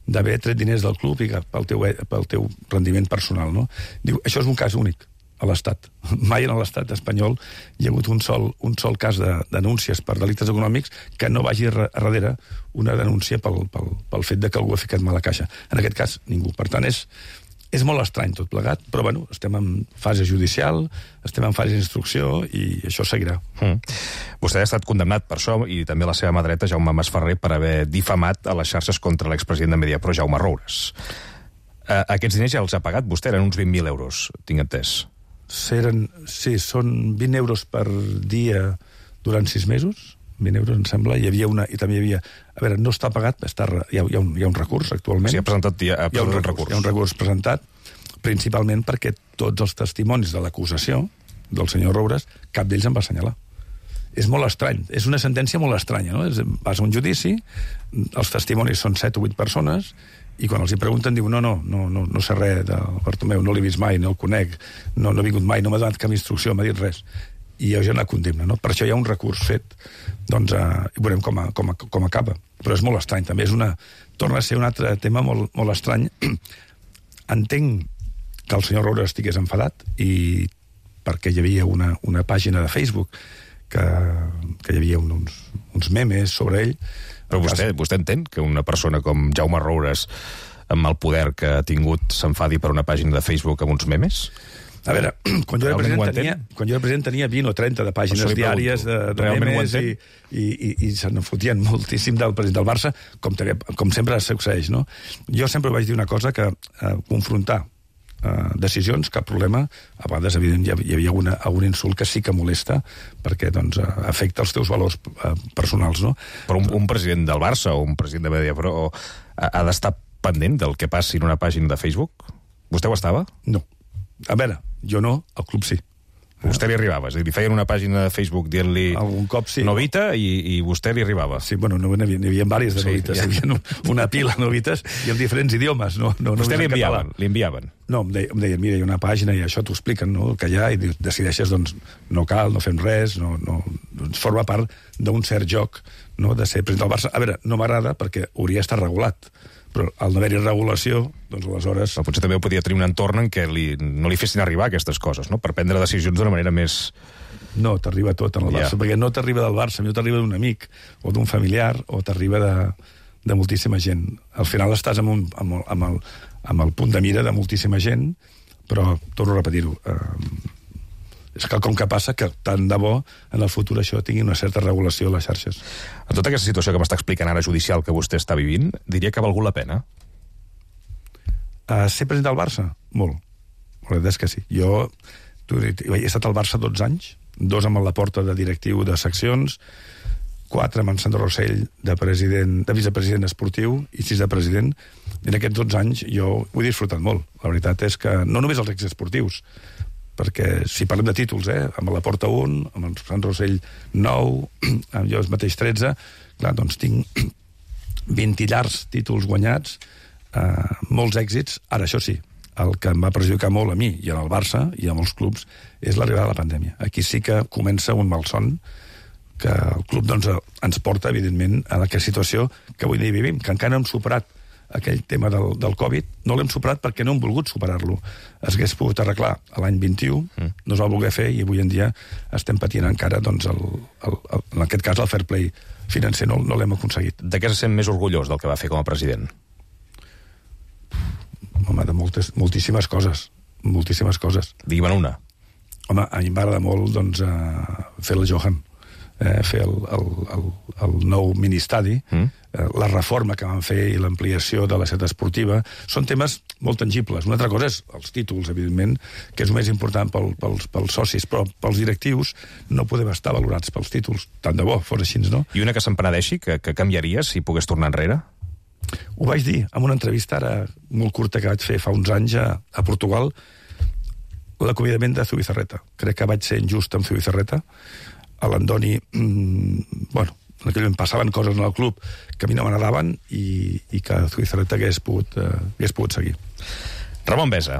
d'haver tret diners del club i pel teu, pel teu rendiment personal, no? Diu, això és un cas únic a l'Estat. Mai en l'Estat espanyol hi ha hagut un sol, un sol cas de denúncies per delictes econòmics que no vagi a darrere una denúncia pel, pel, pel fet de que algú ha ficat mal a caixa. En aquest cas, ningú. Per tant, és, és molt estrany tot plegat, però bueno, estem en fase judicial, estem en fase d'instrucció i això seguirà. Mm. Vostè ha estat condemnat per això i també la seva mà dreta, Jaume Masferrer, per haver difamat a les xarxes contra l'expresident de Mediapro, Jaume Roures. Uh, aquests diners ja els ha pagat vostè, eren uns vint mil euros, tinc entès. Eren, sí, són vint euros per dia durant sis mesos, vint euros em sembla, hi havia una, i també hi havia, a veure, no està pagat, està, hi, ha, hi, ha un, hi ha un recurs actualment. Sí, ha presentat, hi ha, ha hi ha un recurs, recurs. Hi ha un recurs presentat, principalment perquè tots els testimonis de l'acusació del senyor Roures, cap d'ells em va assenyalar. És molt estrany, és una sentència molt estranya, no? És, vas a un judici, els testimonis són set o vuit persones, i quan els hi pregunten diu, no, no, no, no, no sé res del Bartomeu, no l'he vist mai, no el conec, no, no he vingut mai, no m'ha donat cap instrucció, m'ha dit res. i ja la condemna, no? Per això hi ha un recurs fet, doncs, uh, i veurem com, a, com, a, com acaba. Però és molt estrany, també és una... Torna a ser un altre tema molt, molt estrany. Entenc que el senyor Roures estigués enfadat i perquè hi havia una, una pàgina de Facebook que, que hi havia uns, uns memes sobre ell. Però vostè, vostè entén que una persona com Jaume Roures, amb el poder que ha tingut, s'enfadi per una pàgina de Facebook amb uns memes? A veure, quan jo era president tenia, quan jo era president tenia vint o trenta de pàgines diàries de, de memes i, i, i, i se n'enfotien moltíssim del president del Barça, com, també, com sempre succeeix, no? Jo sempre vaig dir una cosa, que eh, confrontar eh, decisions, cap problema. A vegades, evident, hi havia alguna, algun insult que sí que molesta, perquè doncs, afecta els teus valors eh, personals, no? Però un, un president del Barça o un president de Mediapro ha, ha d'estar pendent del que passi en una pàgina de Facebook? Vostè ho estava? No. A veure, jo no, el club sí. A vostè li arribava? És a dir, li feien una pàgina de Facebook dient-li algun cop sí. Novita i, i vostè li arribava? Sí, bueno, no, n'hi havia, n'hi havia diverses de sí, novites. Ja. Hi havia una pila de novites i amb diferents idiomes. No, no, vostè no li enviaven? Li enviaven? No, em deien, em deien, mira, hi ha una pàgina i això t'ho expliquen, no?, el que hi ha, i decideixes, doncs, no cal, no fem res, no, no, doncs forma part d'un cert joc, no?, de ser president del Barça. A veure, no m'agrada perquè hauria d'estar regulat, però al no haver-hi regulació, doncs aleshores... Però potser també podia tenir un entorn en què li, no li fessin arribar aquestes coses, no?, per prendre decisions d'una manera més... No, t'arriba tot en el Barça, yeah. perquè no t'arriba del Barça, no t'arriba d'un amic o d'un familiar, o t'arriba de, de moltíssima gent. Al final estàs amb, un, amb, el, amb, el, amb el punt de mira de moltíssima gent, però, torno a repetir-ho, eh, és quelcom que passa que tant de bo en el futur això tingui una certa regulació a les xarxes. En tota aquesta situació que m'està explicant ara judicial que vostè està vivint, diria que ha valgut la pena? Uh, ser president del Barça? Molt. La veritat és que sí. Jo tu, he estat al Barça dotze anys, dos amb la porta de directiu de seccions, quatre amb en Sandro Rossell de, president, de vicepresident esportiu i sis de president. I en aquests dotze anys jo ho he disfrutat molt. La veritat és que no només els èxits esportius, perquè si parlem de títols, eh, amb la Porta un, amb el Sant Rossell nou, amb jo mateix tretze, clar, doncs tinc vint llargs títols guanyats, eh, molts èxits. Ara, això sí, el que em va perjudicar molt a mi i al Barça i a molts clubs és l'arribada de la pandèmia. Aquí sí que comença un malson que el club doncs, ens porta, evidentment, a aquesta situació que avui dia vivim, que encara no hem superat aquell tema del, del Covid, no l'hem superat perquè no hem volgut superar-lo. Es hagués pogut arreglar l'any vint-i-u, mm. no es va voler fer, i avui en dia estem patint encara, doncs, el, el, el, en aquest cas, el fair play financer no, no l'hem aconseguit. De què se sent més orgullós del que va fer com a president? Home, de moltes, moltíssimes coses. Moltíssimes coses. Digue'm una. Home, a mi m'agrada molt, doncs, uh, fer el Johan. Eh, fer el, el, el, el nou ministadi, mm. eh, la reforma que van fer i l'ampliació de la ciutat esportiva, són temes molt tangibles. Una altra cosa és els títols, evidentment, que és el més important pel, pels, pels socis, però pels directius no podem estar valorats pels títols. Tant de bo fos així, no? I una que se'n penedeixi, que, que canviaria si pogués tornar enrere? Ho vaig dir en una entrevista ara molt curta que vaig fer fa uns anys a, a Portugal, l'acomiadament de Zubizarreta. Crec que vaig ser injust amb Zubizarreta. A l'Andoni, mmm, bueno, en aquell moment passaven coses en el club que a mi no m'agradaven i, i que Zubizarreta hagués pogut, uh, hagués pogut seguir. Ramon Besa.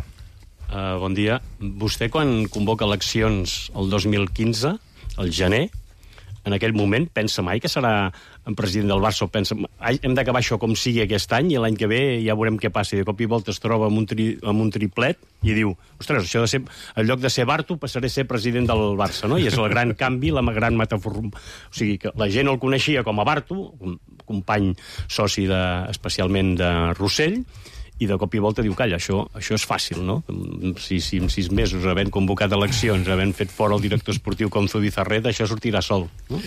Uh, bon dia. Vostè, quan convoca eleccions el dos mil quinze, al gener, en aquell moment, pensa mai que serà el president del Barça, o pensa, hem d'acabar això com sigui aquest any i l'any que ve ja veurem què passa. I de cop i volta es troba amb un, tri, amb un triplet i diu, ostres, això de ser, en lloc de ser Bartu passaré a ser president del Barça, no? I és el gran canvi, la gran metafora. O sigui, que la gent el coneixia com a Bartu, un company soci de, especialment de Rossell, i de cop i volta diu, calla, això, això és fàcil, no? Si, si en sis mesos, havent convocat eleccions, havent fet fora el director esportiu com Zubizarreta, això sortirà sol, no?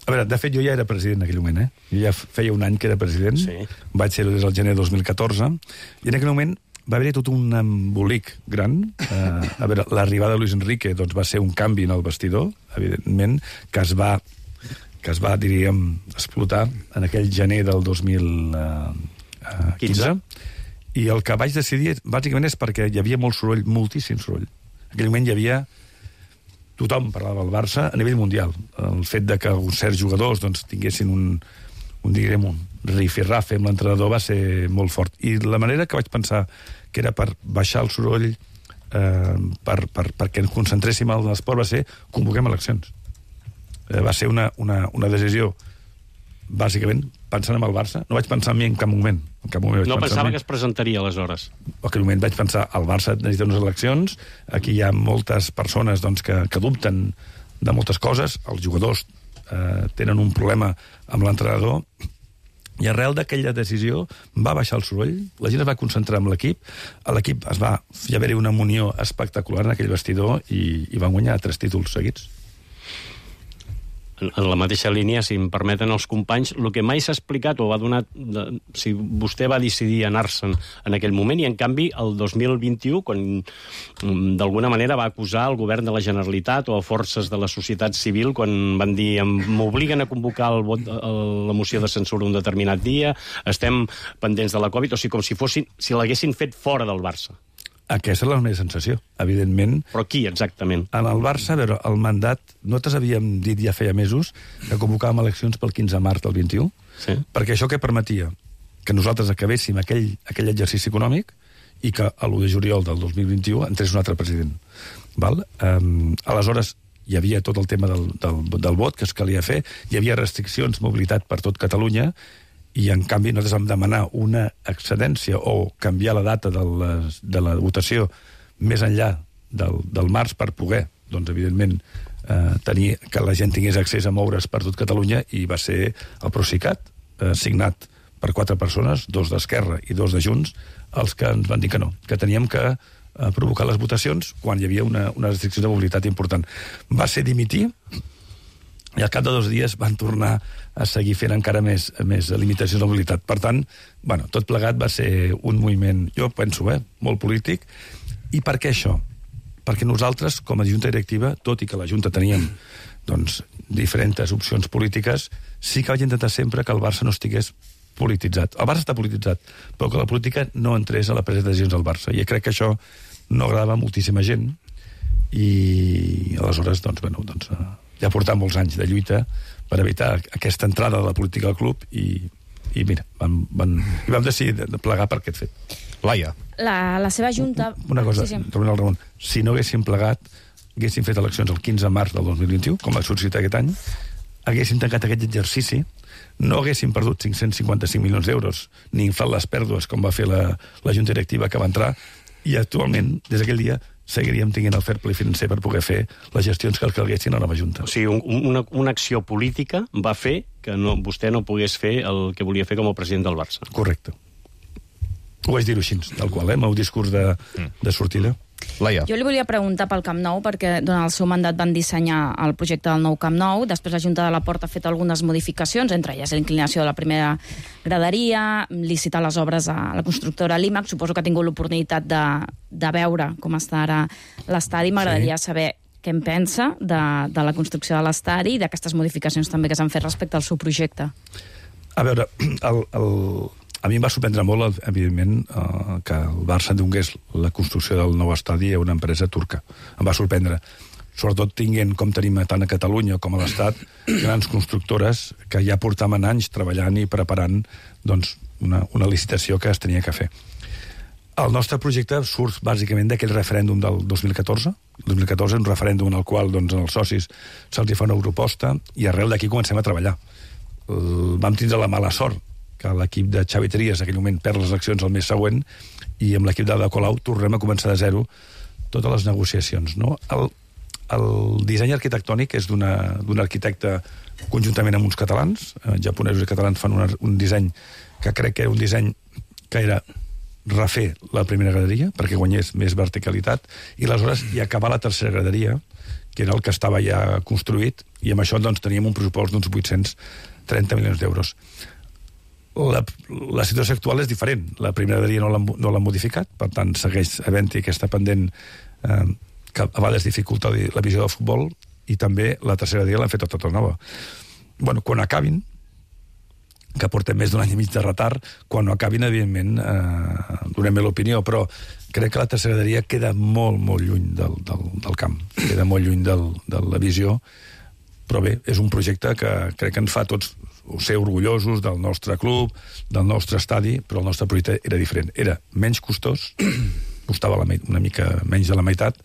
A veure, de fet, jo ja era president en aquell moment, eh? Jo ja feia un any que era president, sí. Vaig ser-ho des del gener de dos mil catorze, i en aquell moment va haver-hi tot un embolic gran. Eh, a veure, l'arribada de Luis Enrique doncs, va ser un canvi en el vestidor, evidentment, que es va, que es va, diríem, explotar en aquell gener del dos mil quinze. I el que vaig decidir, bàsicament, és perquè hi havia molt soroll, moltíssim soroll. En aquell moment hi havia... Tothom parlava del Barça a nivell mundial. El fet de que uns certs jugadors doncs, tinguessin un, un, diguem, un rifirrafe amb l'entrenador va ser molt fort. I la manera que vaig pensar que era per baixar el soroll eh, per, per, perquè ens concentréssim en l'esport va ser convoquem eleccions. Eh, va ser una, una, una decisió bàsicament pensant en el Barça. No vaig pensar en mi en cap moment. En cap moment vaig no pensar pensava que es presentaria aleshores. En aquell moment vaig pensar el Barça necessita unes eleccions, aquí hi ha moltes persones doncs, que, que dubten de moltes coses, els jugadors eh, tenen un problema amb l'entrenador, i arrel d'aquella decisió va baixar el soroll, la gent es va concentrar en l'equip, a l'equip es va hi haver una munió espectacular en aquell vestidor i, i van guanyar tres títols seguits. En la mateixa línia, si em permeten els companys, el que mai s'ha explicat o va donar... De, si vostè va decidir anar-se'n en aquell moment i, en canvi, el dos mil vint-i-u, quan d'alguna manera va acusar el govern de la Generalitat o a forces de la societat civil quan van dir m'obliguen a convocar el vot, la moció de censura un determinat dia, estem pendents de la Covid, o sigui, com si fossin, si l'haguessin fet fora del Barça. Aquesta és la meva sensació, evidentment. Però qui, exactament? En el Barça, a veure, el mandat... Nosaltres havíem dit ja feia mesos que convocàvem eleccions pel quinze de març del vint-i-u, sí. Perquè això què permetia? Que nosaltres acabéssim aquell, aquell exercici econòmic i que a l'u de juliol del dos mil vint-i-u entrés un altre president. Val? Um, aleshores, hi havia tot el tema del, del, del vot que es calia fer, hi havia restriccions, mobilitat per tot Catalunya, i en canvi nosaltres vam demanar una excedència o canviar la data de la, de la votació més enllà del, del març per poder, doncs evidentment, eh, tenir que la gent tingués accés a moure's per tot Catalunya, i va ser el Procicat, eh, signat per quatre persones, dos d'Esquerra i dos de Junts, els que ens van dir que no, que teníem que eh, provocar les votacions quan hi havia una, una restricció de mobilitat important. Va ser dimitir, i al cap de dos dies van tornar a seguir fent encara més, més limitacions de mobilitat. Per tant, bueno, tot plegat va ser un moviment, jo penso, eh, molt polític. I per què això? Perquè nosaltres, com a Junta Directiva, tot i que la Junta teníem doncs, diferents opcions polítiques, sí que vaig intentar sempre que el Barça no estigués polititzat. El Barça està polititzat, però que la política no entrés a la presa de decisions del Barça. I crec que això no agradava a moltíssima gent, i aleshores, doncs, bueno, doncs, ja portar molts anys de lluita per evitar aquesta entrada de la política al club, i, i mira, van, van, i vam decidir de plegar per aquest fet. Laia. La, la seva junta... Una cosa, sí, sí. tornant al Ramon, si no haguéssim plegat, haguéssim fet eleccions el quinze de març del dos mil vint-i-u, com va sorgir aquest any, haguéssim tancat aquest exercici, no haguéssim perdut cinc-cents cinquanta-cinc milions d'euros, ni inflat les pèrdues, com va fer la, la Junta Directiva que va entrar, i actualment, des d'aquell dia, seguiríem tinguent el fair play financer per poder fer les gestions que el calguessin a la nova Junta. O sigui, un, una, una acció política va fer que no, vostè no pogués fer el que volia fer com a president del Barça. Correcte. Ho vaig dir-ho així, tal qual, eh? El meu discurs de, de sortida. Laia. Jo li volia preguntar pel Camp Nou, perquè durant el seu mandat van dissenyar el projecte del nou Camp Nou, després la Junta de la Porta ha fet algunes modificacions, entre elles la inclinació de la primera graderia, licitar les obres a la constructora Limac. Suposo que ha tingut l'oportunitat de, de veure com està ara l'estadi. M'agradaria sí. saber què en pensa de, de la construcció de l'estadi i d'aquestes modificacions també que s'han fet respecte al seu projecte. A veure, el... el... a mi em va sorprendre molt, evidentment, eh, que el Barça donés la construcció del nou estadi a una empresa turca. Em va sorprendre. Sobretot tinguent, com tenim tant a Catalunya com a l'Estat, grans constructores que ja portaven anys treballant i preparant doncs, una, una licitació que es tenia que fer. El nostre projecte surt bàsicament d'aquell referèndum del dos mil catorze. El dos mil catorze és un referèndum en el qual doncs, als socis se'ls fa una proposta i arrel d'aquí comencem a treballar. El, vam tindre la mala sort que l'equip de Xavi Trias en aquell moment perd les eleccions el mes següent i amb l'equip d'Ada Colau tornem a començar de zero totes les negociacions. No? El, el disseny arquitectònic és d'un arquitecte conjuntament amb uns catalans, eh, japonesos i catalans fan una, un disseny que crec que era un disseny que era refer la primera graderia perquè guanyés més verticalitat i aleshores hi acabar la tercera graderia, que era el que estava ja construït, i amb això doncs, teníem un pressupost d'uns vuit-cents trenta milions d'euros. La, la situació actual és diferent. La primera graderia no l'han no l'han modificat, per tant segueix havent-hi aquesta pendent eh, que a vegades dificulta la visió del futbol, i també la tercera graderia l'han fet tota nova. Bueno, quan acabin, que portem més d'un any i mig de retard, quan no acabin, evidentment, eh, donem l'opinió, però crec que la tercera graderia queda molt, molt lluny del, del, del camp, queda molt lluny del, de la visió, però bé, és un projecte que crec que ens fa tots ser orgullosos del nostre club, del nostre estadi, però el nostre projecte era diferent. Era menys costós, costava la, una mica menys de la meitat,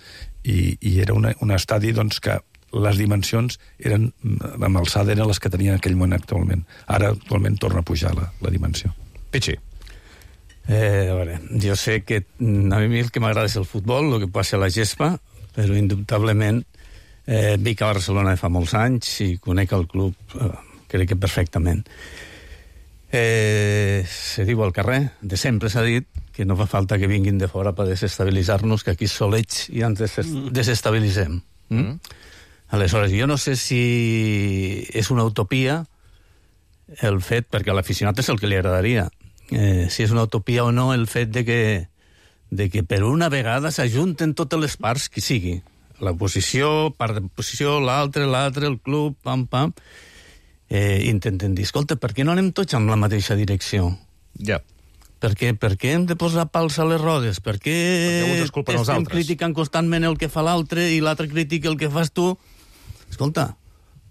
i, i era una, un estadi doncs, que les dimensions eren, amb alçada eren les que tenien en aquell moment actualment. Ara, actualment, torna a pujar la, la dimensió. Pichi. Eh, a veure, jo sé que a mi el que m'agrada és el futbol, el que passa a la gespa, però indubtablement eh, vic a Barcelona fa molts anys i conec el club, eh, crec que perfectament. Eh, se diu al carrer, de sempre s'ha dit que no fa falta que vinguin de fora per desestabilitzar-nos, que aquí solets i ens des desestabilitzem. Mm? Mm. Aleshores, jo no sé si és una utopia el fet, perquè a l'aficionat és el que li agradaria, eh, si és una utopia o no el fet de que, de que per una vegada s'ajunten totes les parts, qui sigui. L'oposició, part de l'oposició, l'altre, l'altre, el club, pam, pam, eh, intenten dir, escolta, per què no anem tots amb la mateixa direcció? Ja. Per què, per què hem de posar pals a les rodes? Per què, què estem criticant constantment el que fa l'altre i l'altre critica el que fas tu? Escolta,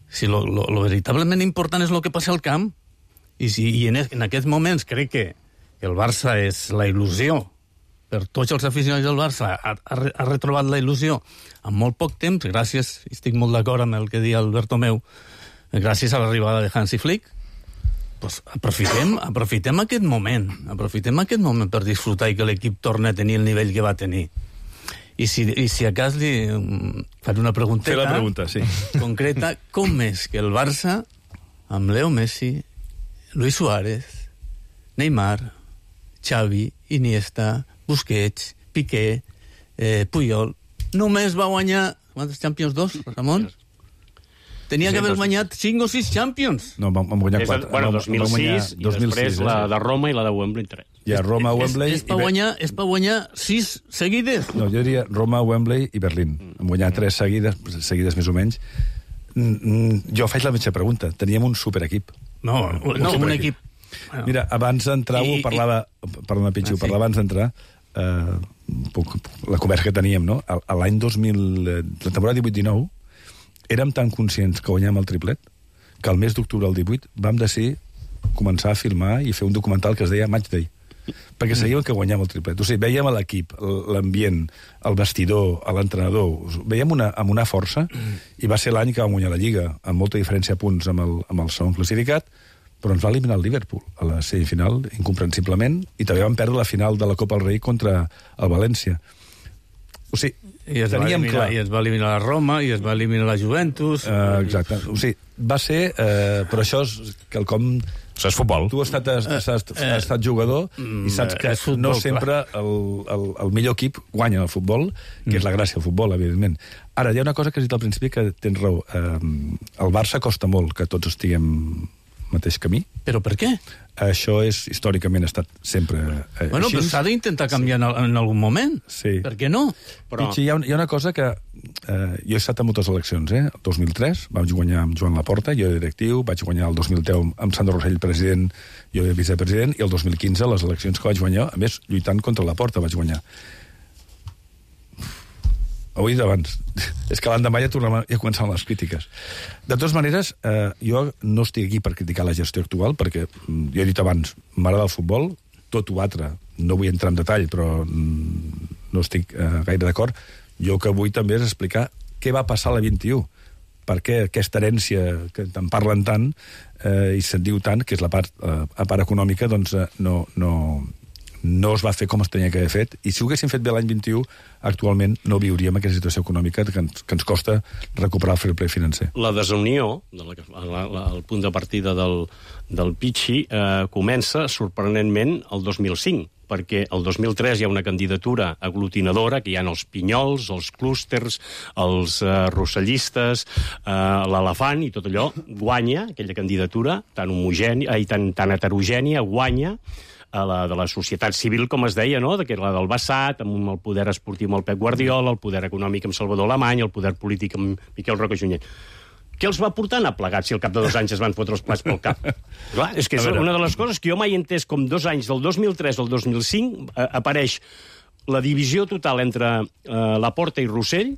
si lo, lo, lo veritablement important és el que passa al camp, i, si, i en, en aquests moments crec que el Barça és la il·lusió, per tots els aficionats del Barça ha, ha, ha retrobat la il·lusió en molt poc temps, gràcies, estic molt d'acord amb el que dia Albert Tomeu, gràcies a l'arribada de Hansi Flick, pues aprofitem, aprofitem aquest moment, aprofitem aquest moment per disfrutar i que l'equip torni a tenir el nivell que va tenir. I si, i si a cas li um, faré una pregunteta Fer la pregunta, sí. concreta, com és que el Barça, amb Leo Messi, Luis Suárez, Neymar, Xavi, Iniesta, Busquets, Piqué, eh, Puyol, només va guanyar... Quantes Champions? Dos, Ramon? Tenia que haver guanyat cinc o sis Champions. No, vam, vam guanyar quatre. Bueno, dos mil sis, i després la de Roma i la de Wembley tres. Hi ha Roma, Wembley... És, és, per guanyar, és per guanyar sis seguides? No, jo diria Roma, Wembley i Berlín. Vam guanyar tres seguides, seguides més o menys. Jo faig la mateixa pregunta. Teníem un superequip. No, un, no, un equip... Mira, abans d'entrar, ho parlava... Perdona, Pitxo, ho parlava abans d'entrar... Eh, la conversa que teníem, no? L'any dos mil... La temporada divuit dinou érem tan conscients que guanyàvem el triplet que el mes d'octubre del divuit vam decidir començar a filmar i fer un documental que es deia Match Day, perquè sabíem que guanyàvem el triplet. O sigui, vèiem l'equip, l'ambient, el vestidor, l'entrenador, veiem una, amb una força, i va ser l'any que vam guanyar la Lliga, amb molta diferència de punts amb el, amb el segon classificat, però ens va eliminar el Liverpool a la semifinal, incomprensiblement, i també vam perdre la final de la Copa del Rei contra el València. O sigui, I es, teníem eliminar, clar... I es va eliminar la Roma, i es va eliminar la Juventus... Uh, exacte. O sigui, va ser... Uh, però això és quelcom... Això és futbol. Tu has estat, has, has, has, has estat jugador i saps que futbol, no sempre el, el, el millor equip guanya el futbol, que és la gràcia del futbol, evidentment. Ara, hi ha una cosa que has dit al principi que tens raó. Uh, el Barça costa molt que tots estiguem mateix camí. Però per què? Això és, històricament, ha estat sempre eh, bueno, així. Però s'ha d'intentar canviar sí. en, en algun moment. Sí. Per què no? Però... Pitxi, hi, ha, hi ha una cosa que... Eh, jo he estat a moltes eleccions, eh? El dos mil tres vaig guanyar amb Joan Laporta, jo era directiu, vaig guanyar el dos mil deu amb Sandro Rossell, president, jo era vicepresident, i el dos mil quinze, les eleccions que vaig guanyar, a més, lluitant contra Laporta vaig guanyar. Ho he dit abans. És que l'endemà ja, tornem a, ja començaven les crítiques. De totes maneres, eh, jo no estic aquí per criticar la gestió actual, perquè, jo he dit abans, m'agrada el futbol, tot ho altre, no vull entrar en detall, però mm, no estic eh, gaire d'acord. Jo que vull també és explicar què va passar a la vint-i-u, per què aquesta herència que en parlen tant eh, i se'n diu tant, que és la part, eh, la part econòmica, doncs eh, no... no no es va fer com es tenia que haver fet, i si ho haguéssim fet bé l'any vint-i-u, actualment no viuríem aquesta situació econòmica que ens, que ens costa recuperar el fair play financer. La desunió, de la, la, la, el punt de partida del, del Pitxi, eh, comença sorprenentment el dos mil cinc, perquè el dos mil tres hi ha una candidatura aglutinadora, que hi ha els pinyols, els clústers, els eh, rossellistes, eh, l'elefant i tot allò, guanya aquella candidatura tan homogènia, i tan, tan heterogènia, guanya a la de la societat civil, com es deia, no? Que era la del Bassat, amb el poder esportiu amb el Pep Guardiola, el poder econòmic amb Salvador Alemany, el poder polític amb Miquel Roca Junyent. Què els va portar anar plegats si al cap de dos anys es van fotre els plats pel cap? Clar, és que és una de les coses que jo mai he entès, com dos anys, del dos mil tres al dos mil cinc, eh, apareix la divisió total entre eh, Laporta i Rossell,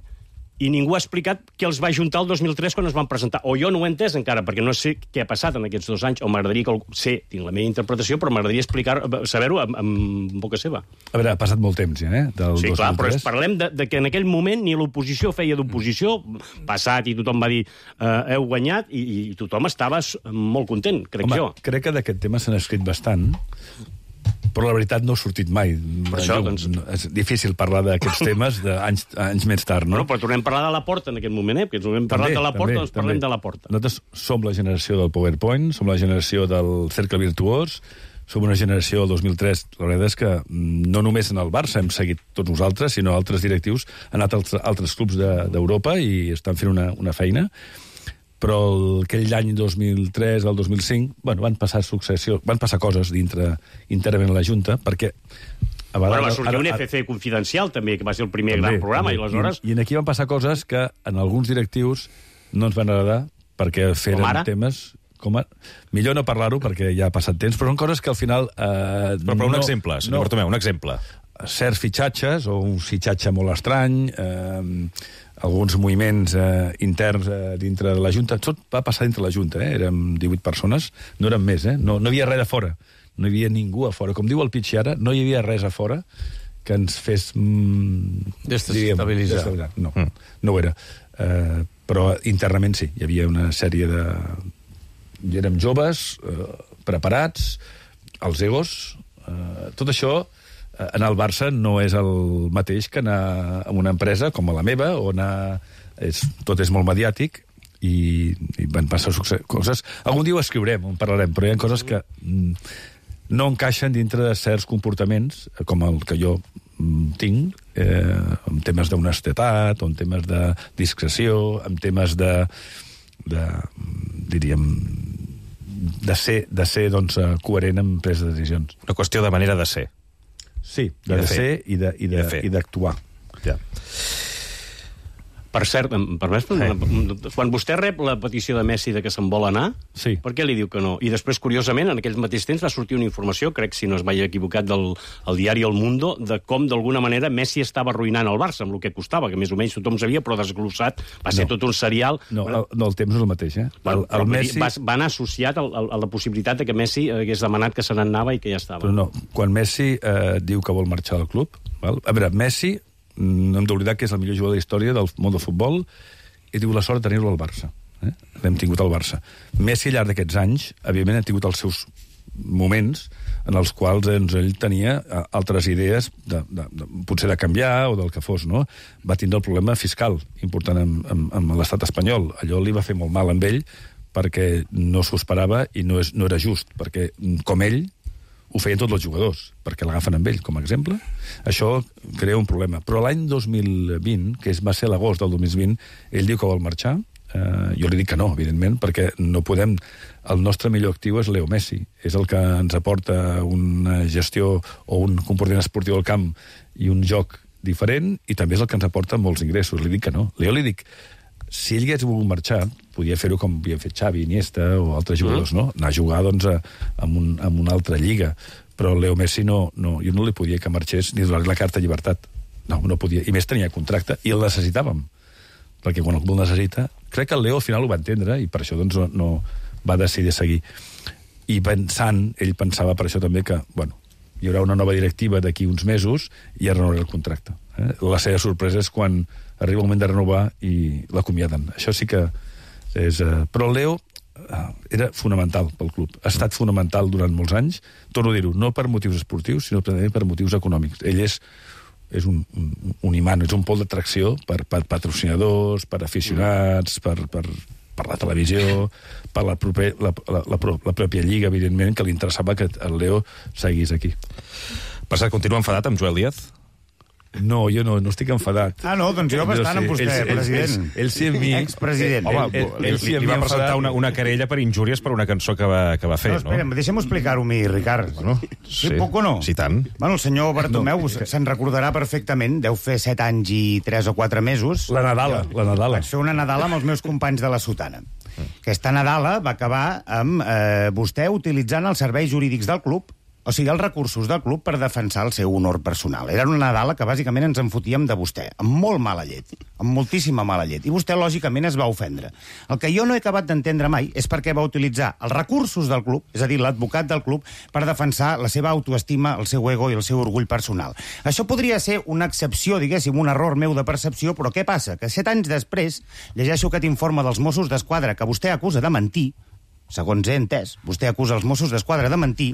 i ningú ha explicat què els va ajuntar el dos mil tres quan es van presentar. O jo no ho he entès encara, perquè no sé què ha passat en aquests dos anys, o m'agradaria que sé, tinc la meva interpretació, però m'agradaria explicar, saber-ho amb, amb boca seva. A veure, ha passat molt temps ja, eh? Del sí, dos mil tres. Clar, però es, parlem de, de que en aquell moment ni l'oposició feia d'oposició, passat i tothom va dir eh, heu guanyat, i, i tothom estava molt content, crec Home, jo. Crec que d'aquest tema se n'ha escrit bastant, però la veritat no ha sortit mai. Per això, doncs... És difícil parlar d'aquests temes d'anys anys més tard, no? Bueno, però tornem a parlar de la Porta en aquest moment, eh? Perquè tornem a parlar de la Porta, doncs parlem de la Porta. Nosaltres som la generació del PowerPoint, som la generació del cercle virtuós, som una generació del dos mil tres. La veritat és que no només en el Barça hem seguit tots nosaltres, sinó altres directius han anat als altres clubs d'Europa de, i estan fent una, una feina. Però aquell any dos mil tres al dos mil cinc, bueno, van passar successió, van passar coses dintre, internament a la Junta, perquè... A vegades, bueno, va sortir ara, un F C confidencial, també, que va ser el primer també, gran programa, també. I aleshores... I, I aquí van passar coses que en alguns directius no ens van agradar, perquè feren temes... Com a... Millor no parlar-ho, perquè ja ha passat temps, però són coses que al final... Eh, però, però un no, exemple, senyor no, Bartomeu, un exemple. Certs fitxatges, o un fitxatge molt estrany... Eh, alguns moviments eh, interns eh, dintre de la Junta. Tot va passar dintre la Junta, eh? Érem divuit persones, no érem més, eh? No, no hi havia res a fora. No hi havia ningú a fora. Com diu el Pitxi ara, no hi havia res a fora que ens fes... Mm, Desestabilitzar. No, mm. no ho era. Eh, però internament sí, hi havia una sèrie de... I érem joves, eh, preparats, els egos... Eh, tot això... En el Barça no és el mateix que anar a una empresa com a la meva, on és, tot és molt mediàtic i, i van passar coses... Algun dia ho escriurem, en parlarem, però hi ha coses que no encaixen dintre de certs comportaments, com el que jo tinc, eh, en temes d'honestedat, o en temes de discreció, en temes de, de diríem, de ser, de ser doncs, coherent en presa de decisions. Una qüestió de manera de ser. Sí, de, de ser i d'actuar. Ja. Per cert, em permets, sí. Quan vostè rep la petició de Messi de que se'n vol anar, sí. Per què li diu que no? I després, curiosament, en aquell mateix temps va sortir una informació, crec, si no es vaig equivocat, del el diari El Mundo, de com, d'alguna manera, Messi estava arruïnant el Barça, amb el que costava, que més o menys tothom sabia, però desglossat, va ser no. tot un serial... No, el, no, el temps no és el mateix, eh? Bueno, el, el Messi... va, va anar associat a, a, a la possibilitat de que Messi hagués demanat que se n'anava i que ja estava. Però no, quan Messi eh, diu que vol marxar del club... Val? A veure, Messi... no hem d'oblidar que és el millor jugador de la història del món del futbol i diu la sort de tenir-lo al Barça. Eh? L'hem tingut al Barça. Messi, al llarg d'aquests anys, evidentment, ha tingut els seus moments en els quals doncs, ell tenia altres idees, de, de, de, potser de canviar o del que fos, no? Va tindre el problema fiscal important amb, amb, amb l'estat espanyol. Allò li va fer molt mal amb ell perquè no s'ho esperava i no, és, no era just, perquè com ell ho feien tots els jugadors, perquè l'agafen amb ell, com a exemple. Això crea un problema. Però l'any dos mil vint, que va ser l'agost del dos mil vint, ell diu que vol marxar. Eh, jo li dic que no, evidentment, perquè no podem... El nostre millor actiu és Leo Messi. És el que ens aporta una gestió o un comportament esportiu al camp i un joc diferent, i també és el que ens aporta molts ingressos. Li dic que no. Jo li dic, si ell hagués volgut marxar, podia fer-ho com havia fet Xavi, Iniesta o altres jugadors, no? Anar a jugar, doncs, a, a, un, a una altra lliga. Però Leo Messi no, no, jo no li podia que marxés ni donar la carta de llibertat. No, no podia. I més tenia contracte, i el necessitàvem. Perquè quan el necessita... Crec que el Leo al final ho va entendre, i per això doncs, no, no va decidir seguir. I pensant, ell pensava per això també que, bueno, hi haurà una nova directiva d'aquí uns mesos i ja renovarà el contracte. Eh? La seva sorpresa és quan arriba el moment de renovar i l'acomiaden. Això sí que és... Eh... Però el Leo eh, era fonamental pel club. Ha estat fonamental durant molts anys. Torno a dir-ho, no per motius esportius, sinó també per motius econòmics. Ell és, és un, un, un imant, és un pol d'atracció per, per patrocinadors, per aficionats, per, per, per la televisió, per la, proper, la, la, la, la pròpia lliga, evidentment, que li interessava que el Leo seguís aquí. Per cert, continua enfadat amb Joel Díaz? No, jo no, no estic enfadat. Ah, no? Doncs jo bastant amb vostè, ell, president. Ell, ell, ell sí amb mi... Expresident. Home, ell, ell, ell, li, li va presentar una, una querella per injúries per una cançó que va, que va fer, no? Espera, deixem-ho explicar-ho a mi, Ricard. Bueno, sí. sí. Puc o no? Sí, tant. Bueno, el senyor Bartomeu no. se'n recordarà perfectament, deu fer set anys i tres o quatre mesos. La Nadala, jo, la Nadala. Vaig fer una Nadala amb els meus companys de la Sotana. Aquesta Nadala va acabar amb eh, vostè utilitzant els serveis jurídics del club, o sigui, els recursos del club per defensar el seu honor personal. Era una Nadala que bàsicament ens en fotíem de vostè, amb molt mala llet. amb moltíssima mala llet. I vostè, lògicament, es va ofendre. El que jo no he acabat d'entendre mai és per què va utilitzar els recursos del club, és a dir, l'advocat del club, per defensar la seva autoestima, el seu ego i el seu orgull personal. Això podria ser una excepció, diguéssim, un error meu de percepció, però què passa? Que set anys després llegeixo aquest informe dels Mossos d'Esquadra que vostè acusa de mentir, segons he entès, vostè acusa els Mossos d'Esquadra de mentir,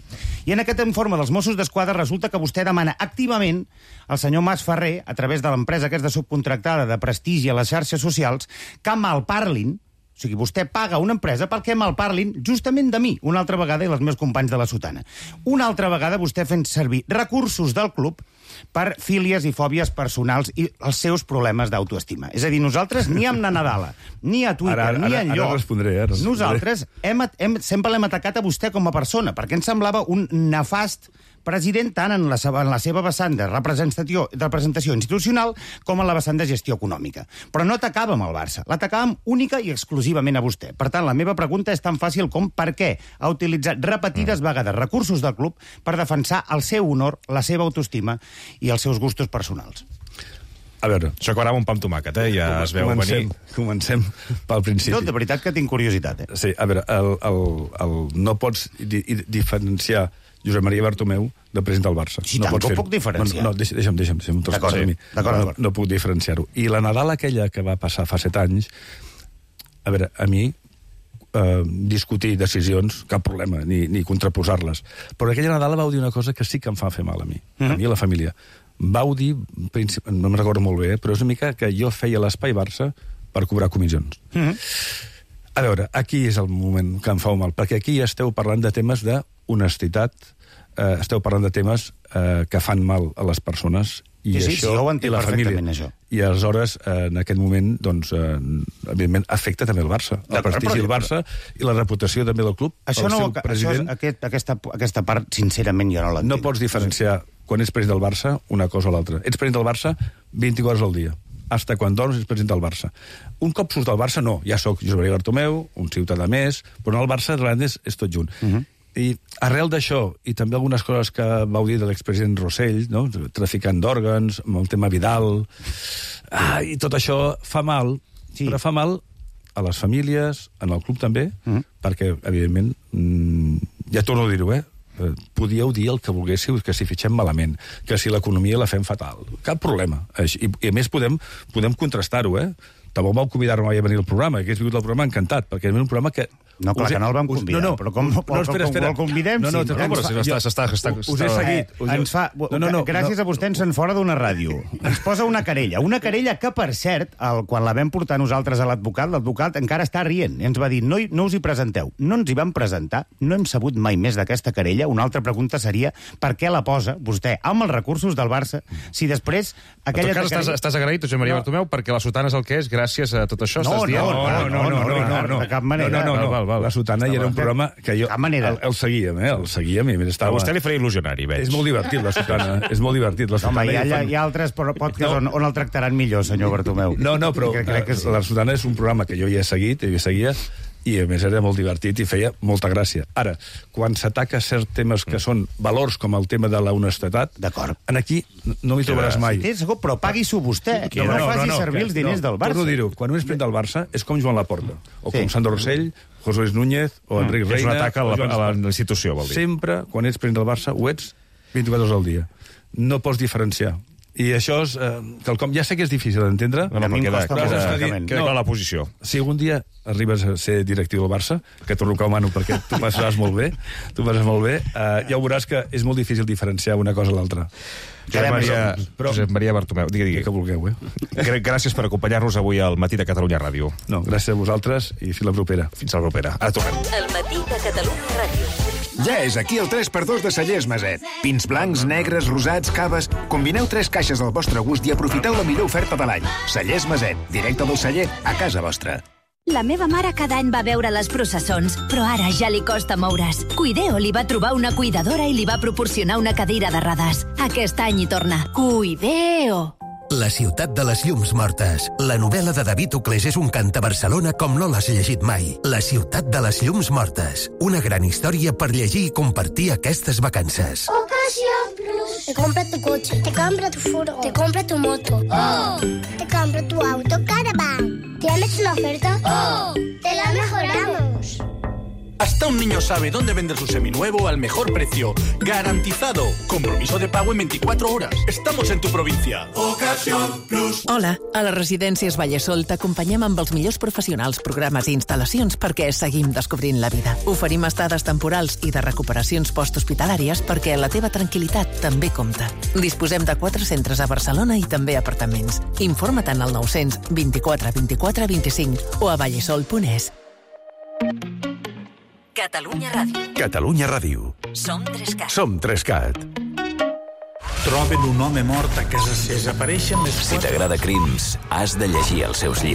i en aquest informe dels Mossos d'Esquadra resulta que vostè demana activament al senyor Mas Ferrer, a través de l'empresa aquesta subcontractada de prestigi a les xarxes socials, que malparlin, o sigui, vostè paga una empresa perquè malparlin justament de mi, una altra vegada, i els meus companys de la Sotana. Una altra vegada vostè fent servir recursos del club per fílies i fòbies personals i els seus problemes d'autoestima. És a dir, nosaltres ni amb na Nadala, ni a Twitter, ara, ara, ni enlloc, ara respondré, ara respondré. nosaltres hem, hem, sempre l'hem atacat a vostè com a persona, perquè ens semblava un nefast president tant en la, seva, en la seva vessant de representació, de representació institucional com en la vessant de gestió econòmica. Però no atacàvem el Barça, l'atacàvem única i exclusivament a vostè. Per tant, la meva pregunta és tan fàcil com per què ha utilitzat repetides mm. vegades recursos del club per defensar el seu honor, la seva autoestima i els seus gustos personals. A veure... Això acabarà amb un pa amb tomàquet, eh? Ja es veu comencem, venir. Comencem pel principi. No, de veritat que tinc curiositat, eh? Sí, a veure, el, el, el, no pots di, diferenciar Josep Maria Bartomeu del president del Barça. Sí, no tant, ho puc diferenciar. No, no, deixa'm, deixa'm, deixa'm. D'acord, d'acord. No, no puc diferenciar-ho. I la Nadal aquella que va passar fa set anys, a veure, a mi, eh, discutir decisions, cap problema, ni, ni contraposar-les. Però aquella Nadal vau dir una cosa que sí que em fa fer mal a mi, mm-hmm. a mi i a la família. Vau dir, no me'n recordo molt bé, eh, però és una mica que jo feia l'espai Barça per cobrar comissions. Mm-hmm. A veure, aquí és el moment que em fa mal, perquè aquí esteu parlant de temes d'honestitat, eh, esteu parlant de temes eh, que fan mal a les persones i sí, sí, això, sí, i la família. Això. I aleshores, eh, en aquest moment, doncs, eh, evidentment, afecta també el Barça. El prestigi del Barça i la reputació també del club. Això no, això és, aquest, aquesta, aquesta part, sincerament, jo no l'entenc. No pots diferenciar, quan ets president del Barça, una cosa o l'altra. Ets president del Barça vint-i-quatre hores al dia. Hasta quan dorms ets president del Barça. Un cop surts del Barça, no. Ja sóc Josep Maria Bartomeu, un ciutadà més, però el Barça realment és, és tot junt. Uh -huh. I arrel d'això, i també algunes coses que vau dir de l'expresident Rossell, no? Traficant d'òrgans, amb el tema Vidal, ah, i tot això fa mal, sí. Però fa mal a les famílies, en el club també, uh -huh. perquè, evidentment, mmm, ja torno a dir-ho, eh? Podíeu dir el que volguéssiu, que si fitxem malament, que si l'economia la fem fatal. Cap problema. I, i a més podem, podem contrastar-ho, eh? Tampoc vau convidar-me mai a venir al programa, que hagués vingut al programa encantat, perquè és un programa que... No, clar, que no el vam convidar, no, no, però com, no, com, espera, espera. com el convidem... No, no, sí, no, no, si està, està, està, us he seguit. Eh, ens fa, no, no, no, gràcies no. a vostè ens en fora d'una ràdio. Ens posa una querella. Una querella que, per cert, el, quan la vam portar nosaltres a l'advocat, l'advocat encara està rient. I ens va dir, no, no us hi presenteu. No ens hi vam presentar, no hem sabut mai més d'aquesta querella. Una altra pregunta seria, per què la posa vostè amb els recursos del Barça, si després... Aquella en tot cas, querella... estàs, estàs agraït, Josep Maria no. Bartomeu, perquè la Sotana és el que és gràcies a tot això, no, estàs dient? No, no, no, no, no, no, no, de cap manera. No, no, no, val, val, la Sotana ja era un programa que jo... De cap manera. El, el seguíem, eh? El seguíem i a més estava... A vostè li faria il·lusionari, veig. És molt divertit, la Sotana. És molt divertit, la Sotana. Home, hi ha, fan... hi ha altres podcasts no. on, on el tractaran millor, senyor Bartomeu. No, no, però crec, crec que sí. La Sotana és un programa que jo ja he seguit, i seguia, i a més era molt divertit i feia molta gràcia. Ara, quan s'ataca certs temes que són valors com el tema de la honestedat, d'acord, en aquí no m'hi trobaràs mai. Sí, segur, però pagui-s'ho vostè, que no, no, no faci no, no, servir els diners no, del Barça. Torno a dir-ho, quan un és president del Barça és com Joan Laporta, o sí. com Sandro Rossell, José Luis Núñez, o Enric mm, Reina... És un atac a la, a la institució, vol dir. Sempre, quan ets president del Barça, ho ets vint-i-quatre hores al dia. No pots diferenciar. I això és... Eh, quelcom, ja sé que és difícil d'entendre. No, no, però queda, queda, queda, queda clar la posició. Si algun dia arribes a ser directiu del Barça, que t'ho recomano perquè tu passaràs molt bé, tu passes molt bé, eh, ja ho veuràs que és molt difícil diferenciar una cosa a l'altra. Josep Maria, però, Josep Maria Bartomeu, digui, digui. Que vulgueu, eh? Gràcies per acompanyar-nos avui al Matí de Catalunya Ràdio. No, gràcies a vosaltres i fins la propera. Fins la propera. Ara tornem. El Matí de Catalunya Ràdio. Ja és aquí el tres per dos de Cellers Maset. Pins blancs, negres, rosats, caves... Combineu tres caixes al vostre gust i aprofiteu la millor oferta de l'any. Cellers Maset, directe del celler a casa vostra. La meva mare cada any va veure les processons, però ara ja li costa moure's. Cuideo li va trobar una cuidadora i li va proporcionar una cadira de rodes. Aquest any hi torna. Cuideo! La ciutat de les llums mortes. La novel·la de David Uclés és un cant a Barcelona com no l'has llegit mai. La ciutat de les llums mortes. Una gran història per llegir i compartir aquestes vacances. Ocasió Plus. Te compra tu coche. Te compra tu furgo. Te compra tu moto. ¡Oh! Te compra tu auto Caravan. ¿Tienes una oferta? ¡Oh! ¡Te la mejoramos! Hasta un niño sabe dónde vender su seminuevo al mejor precio. ¡Garantizado! Compromiso de pago en veinticuatro horas. Estamos en tu provincia. Ocasión Plus. Hola, a les residències Vallesol t'acompanyem amb els millors professionals, programes i instal·lacions perquè seguim descobrint la vida. Oferim estades temporals i de recuperacions posthospitalàries perquè la teva tranquil·litat també compta. Disposem de quatre centres a Barcelona i també apartaments. Informa't en el nou cents vint-i-quatre vint-i-quatre vint-i-cinc o a vallesol punt es. Catalunya Ràdio. Catalunya Ràdio. Som Trescat. Som Trescat. Troben un home mort a casa seva. Desapareixen les... Si t'agrada Crims, has de llegir els seus llibres.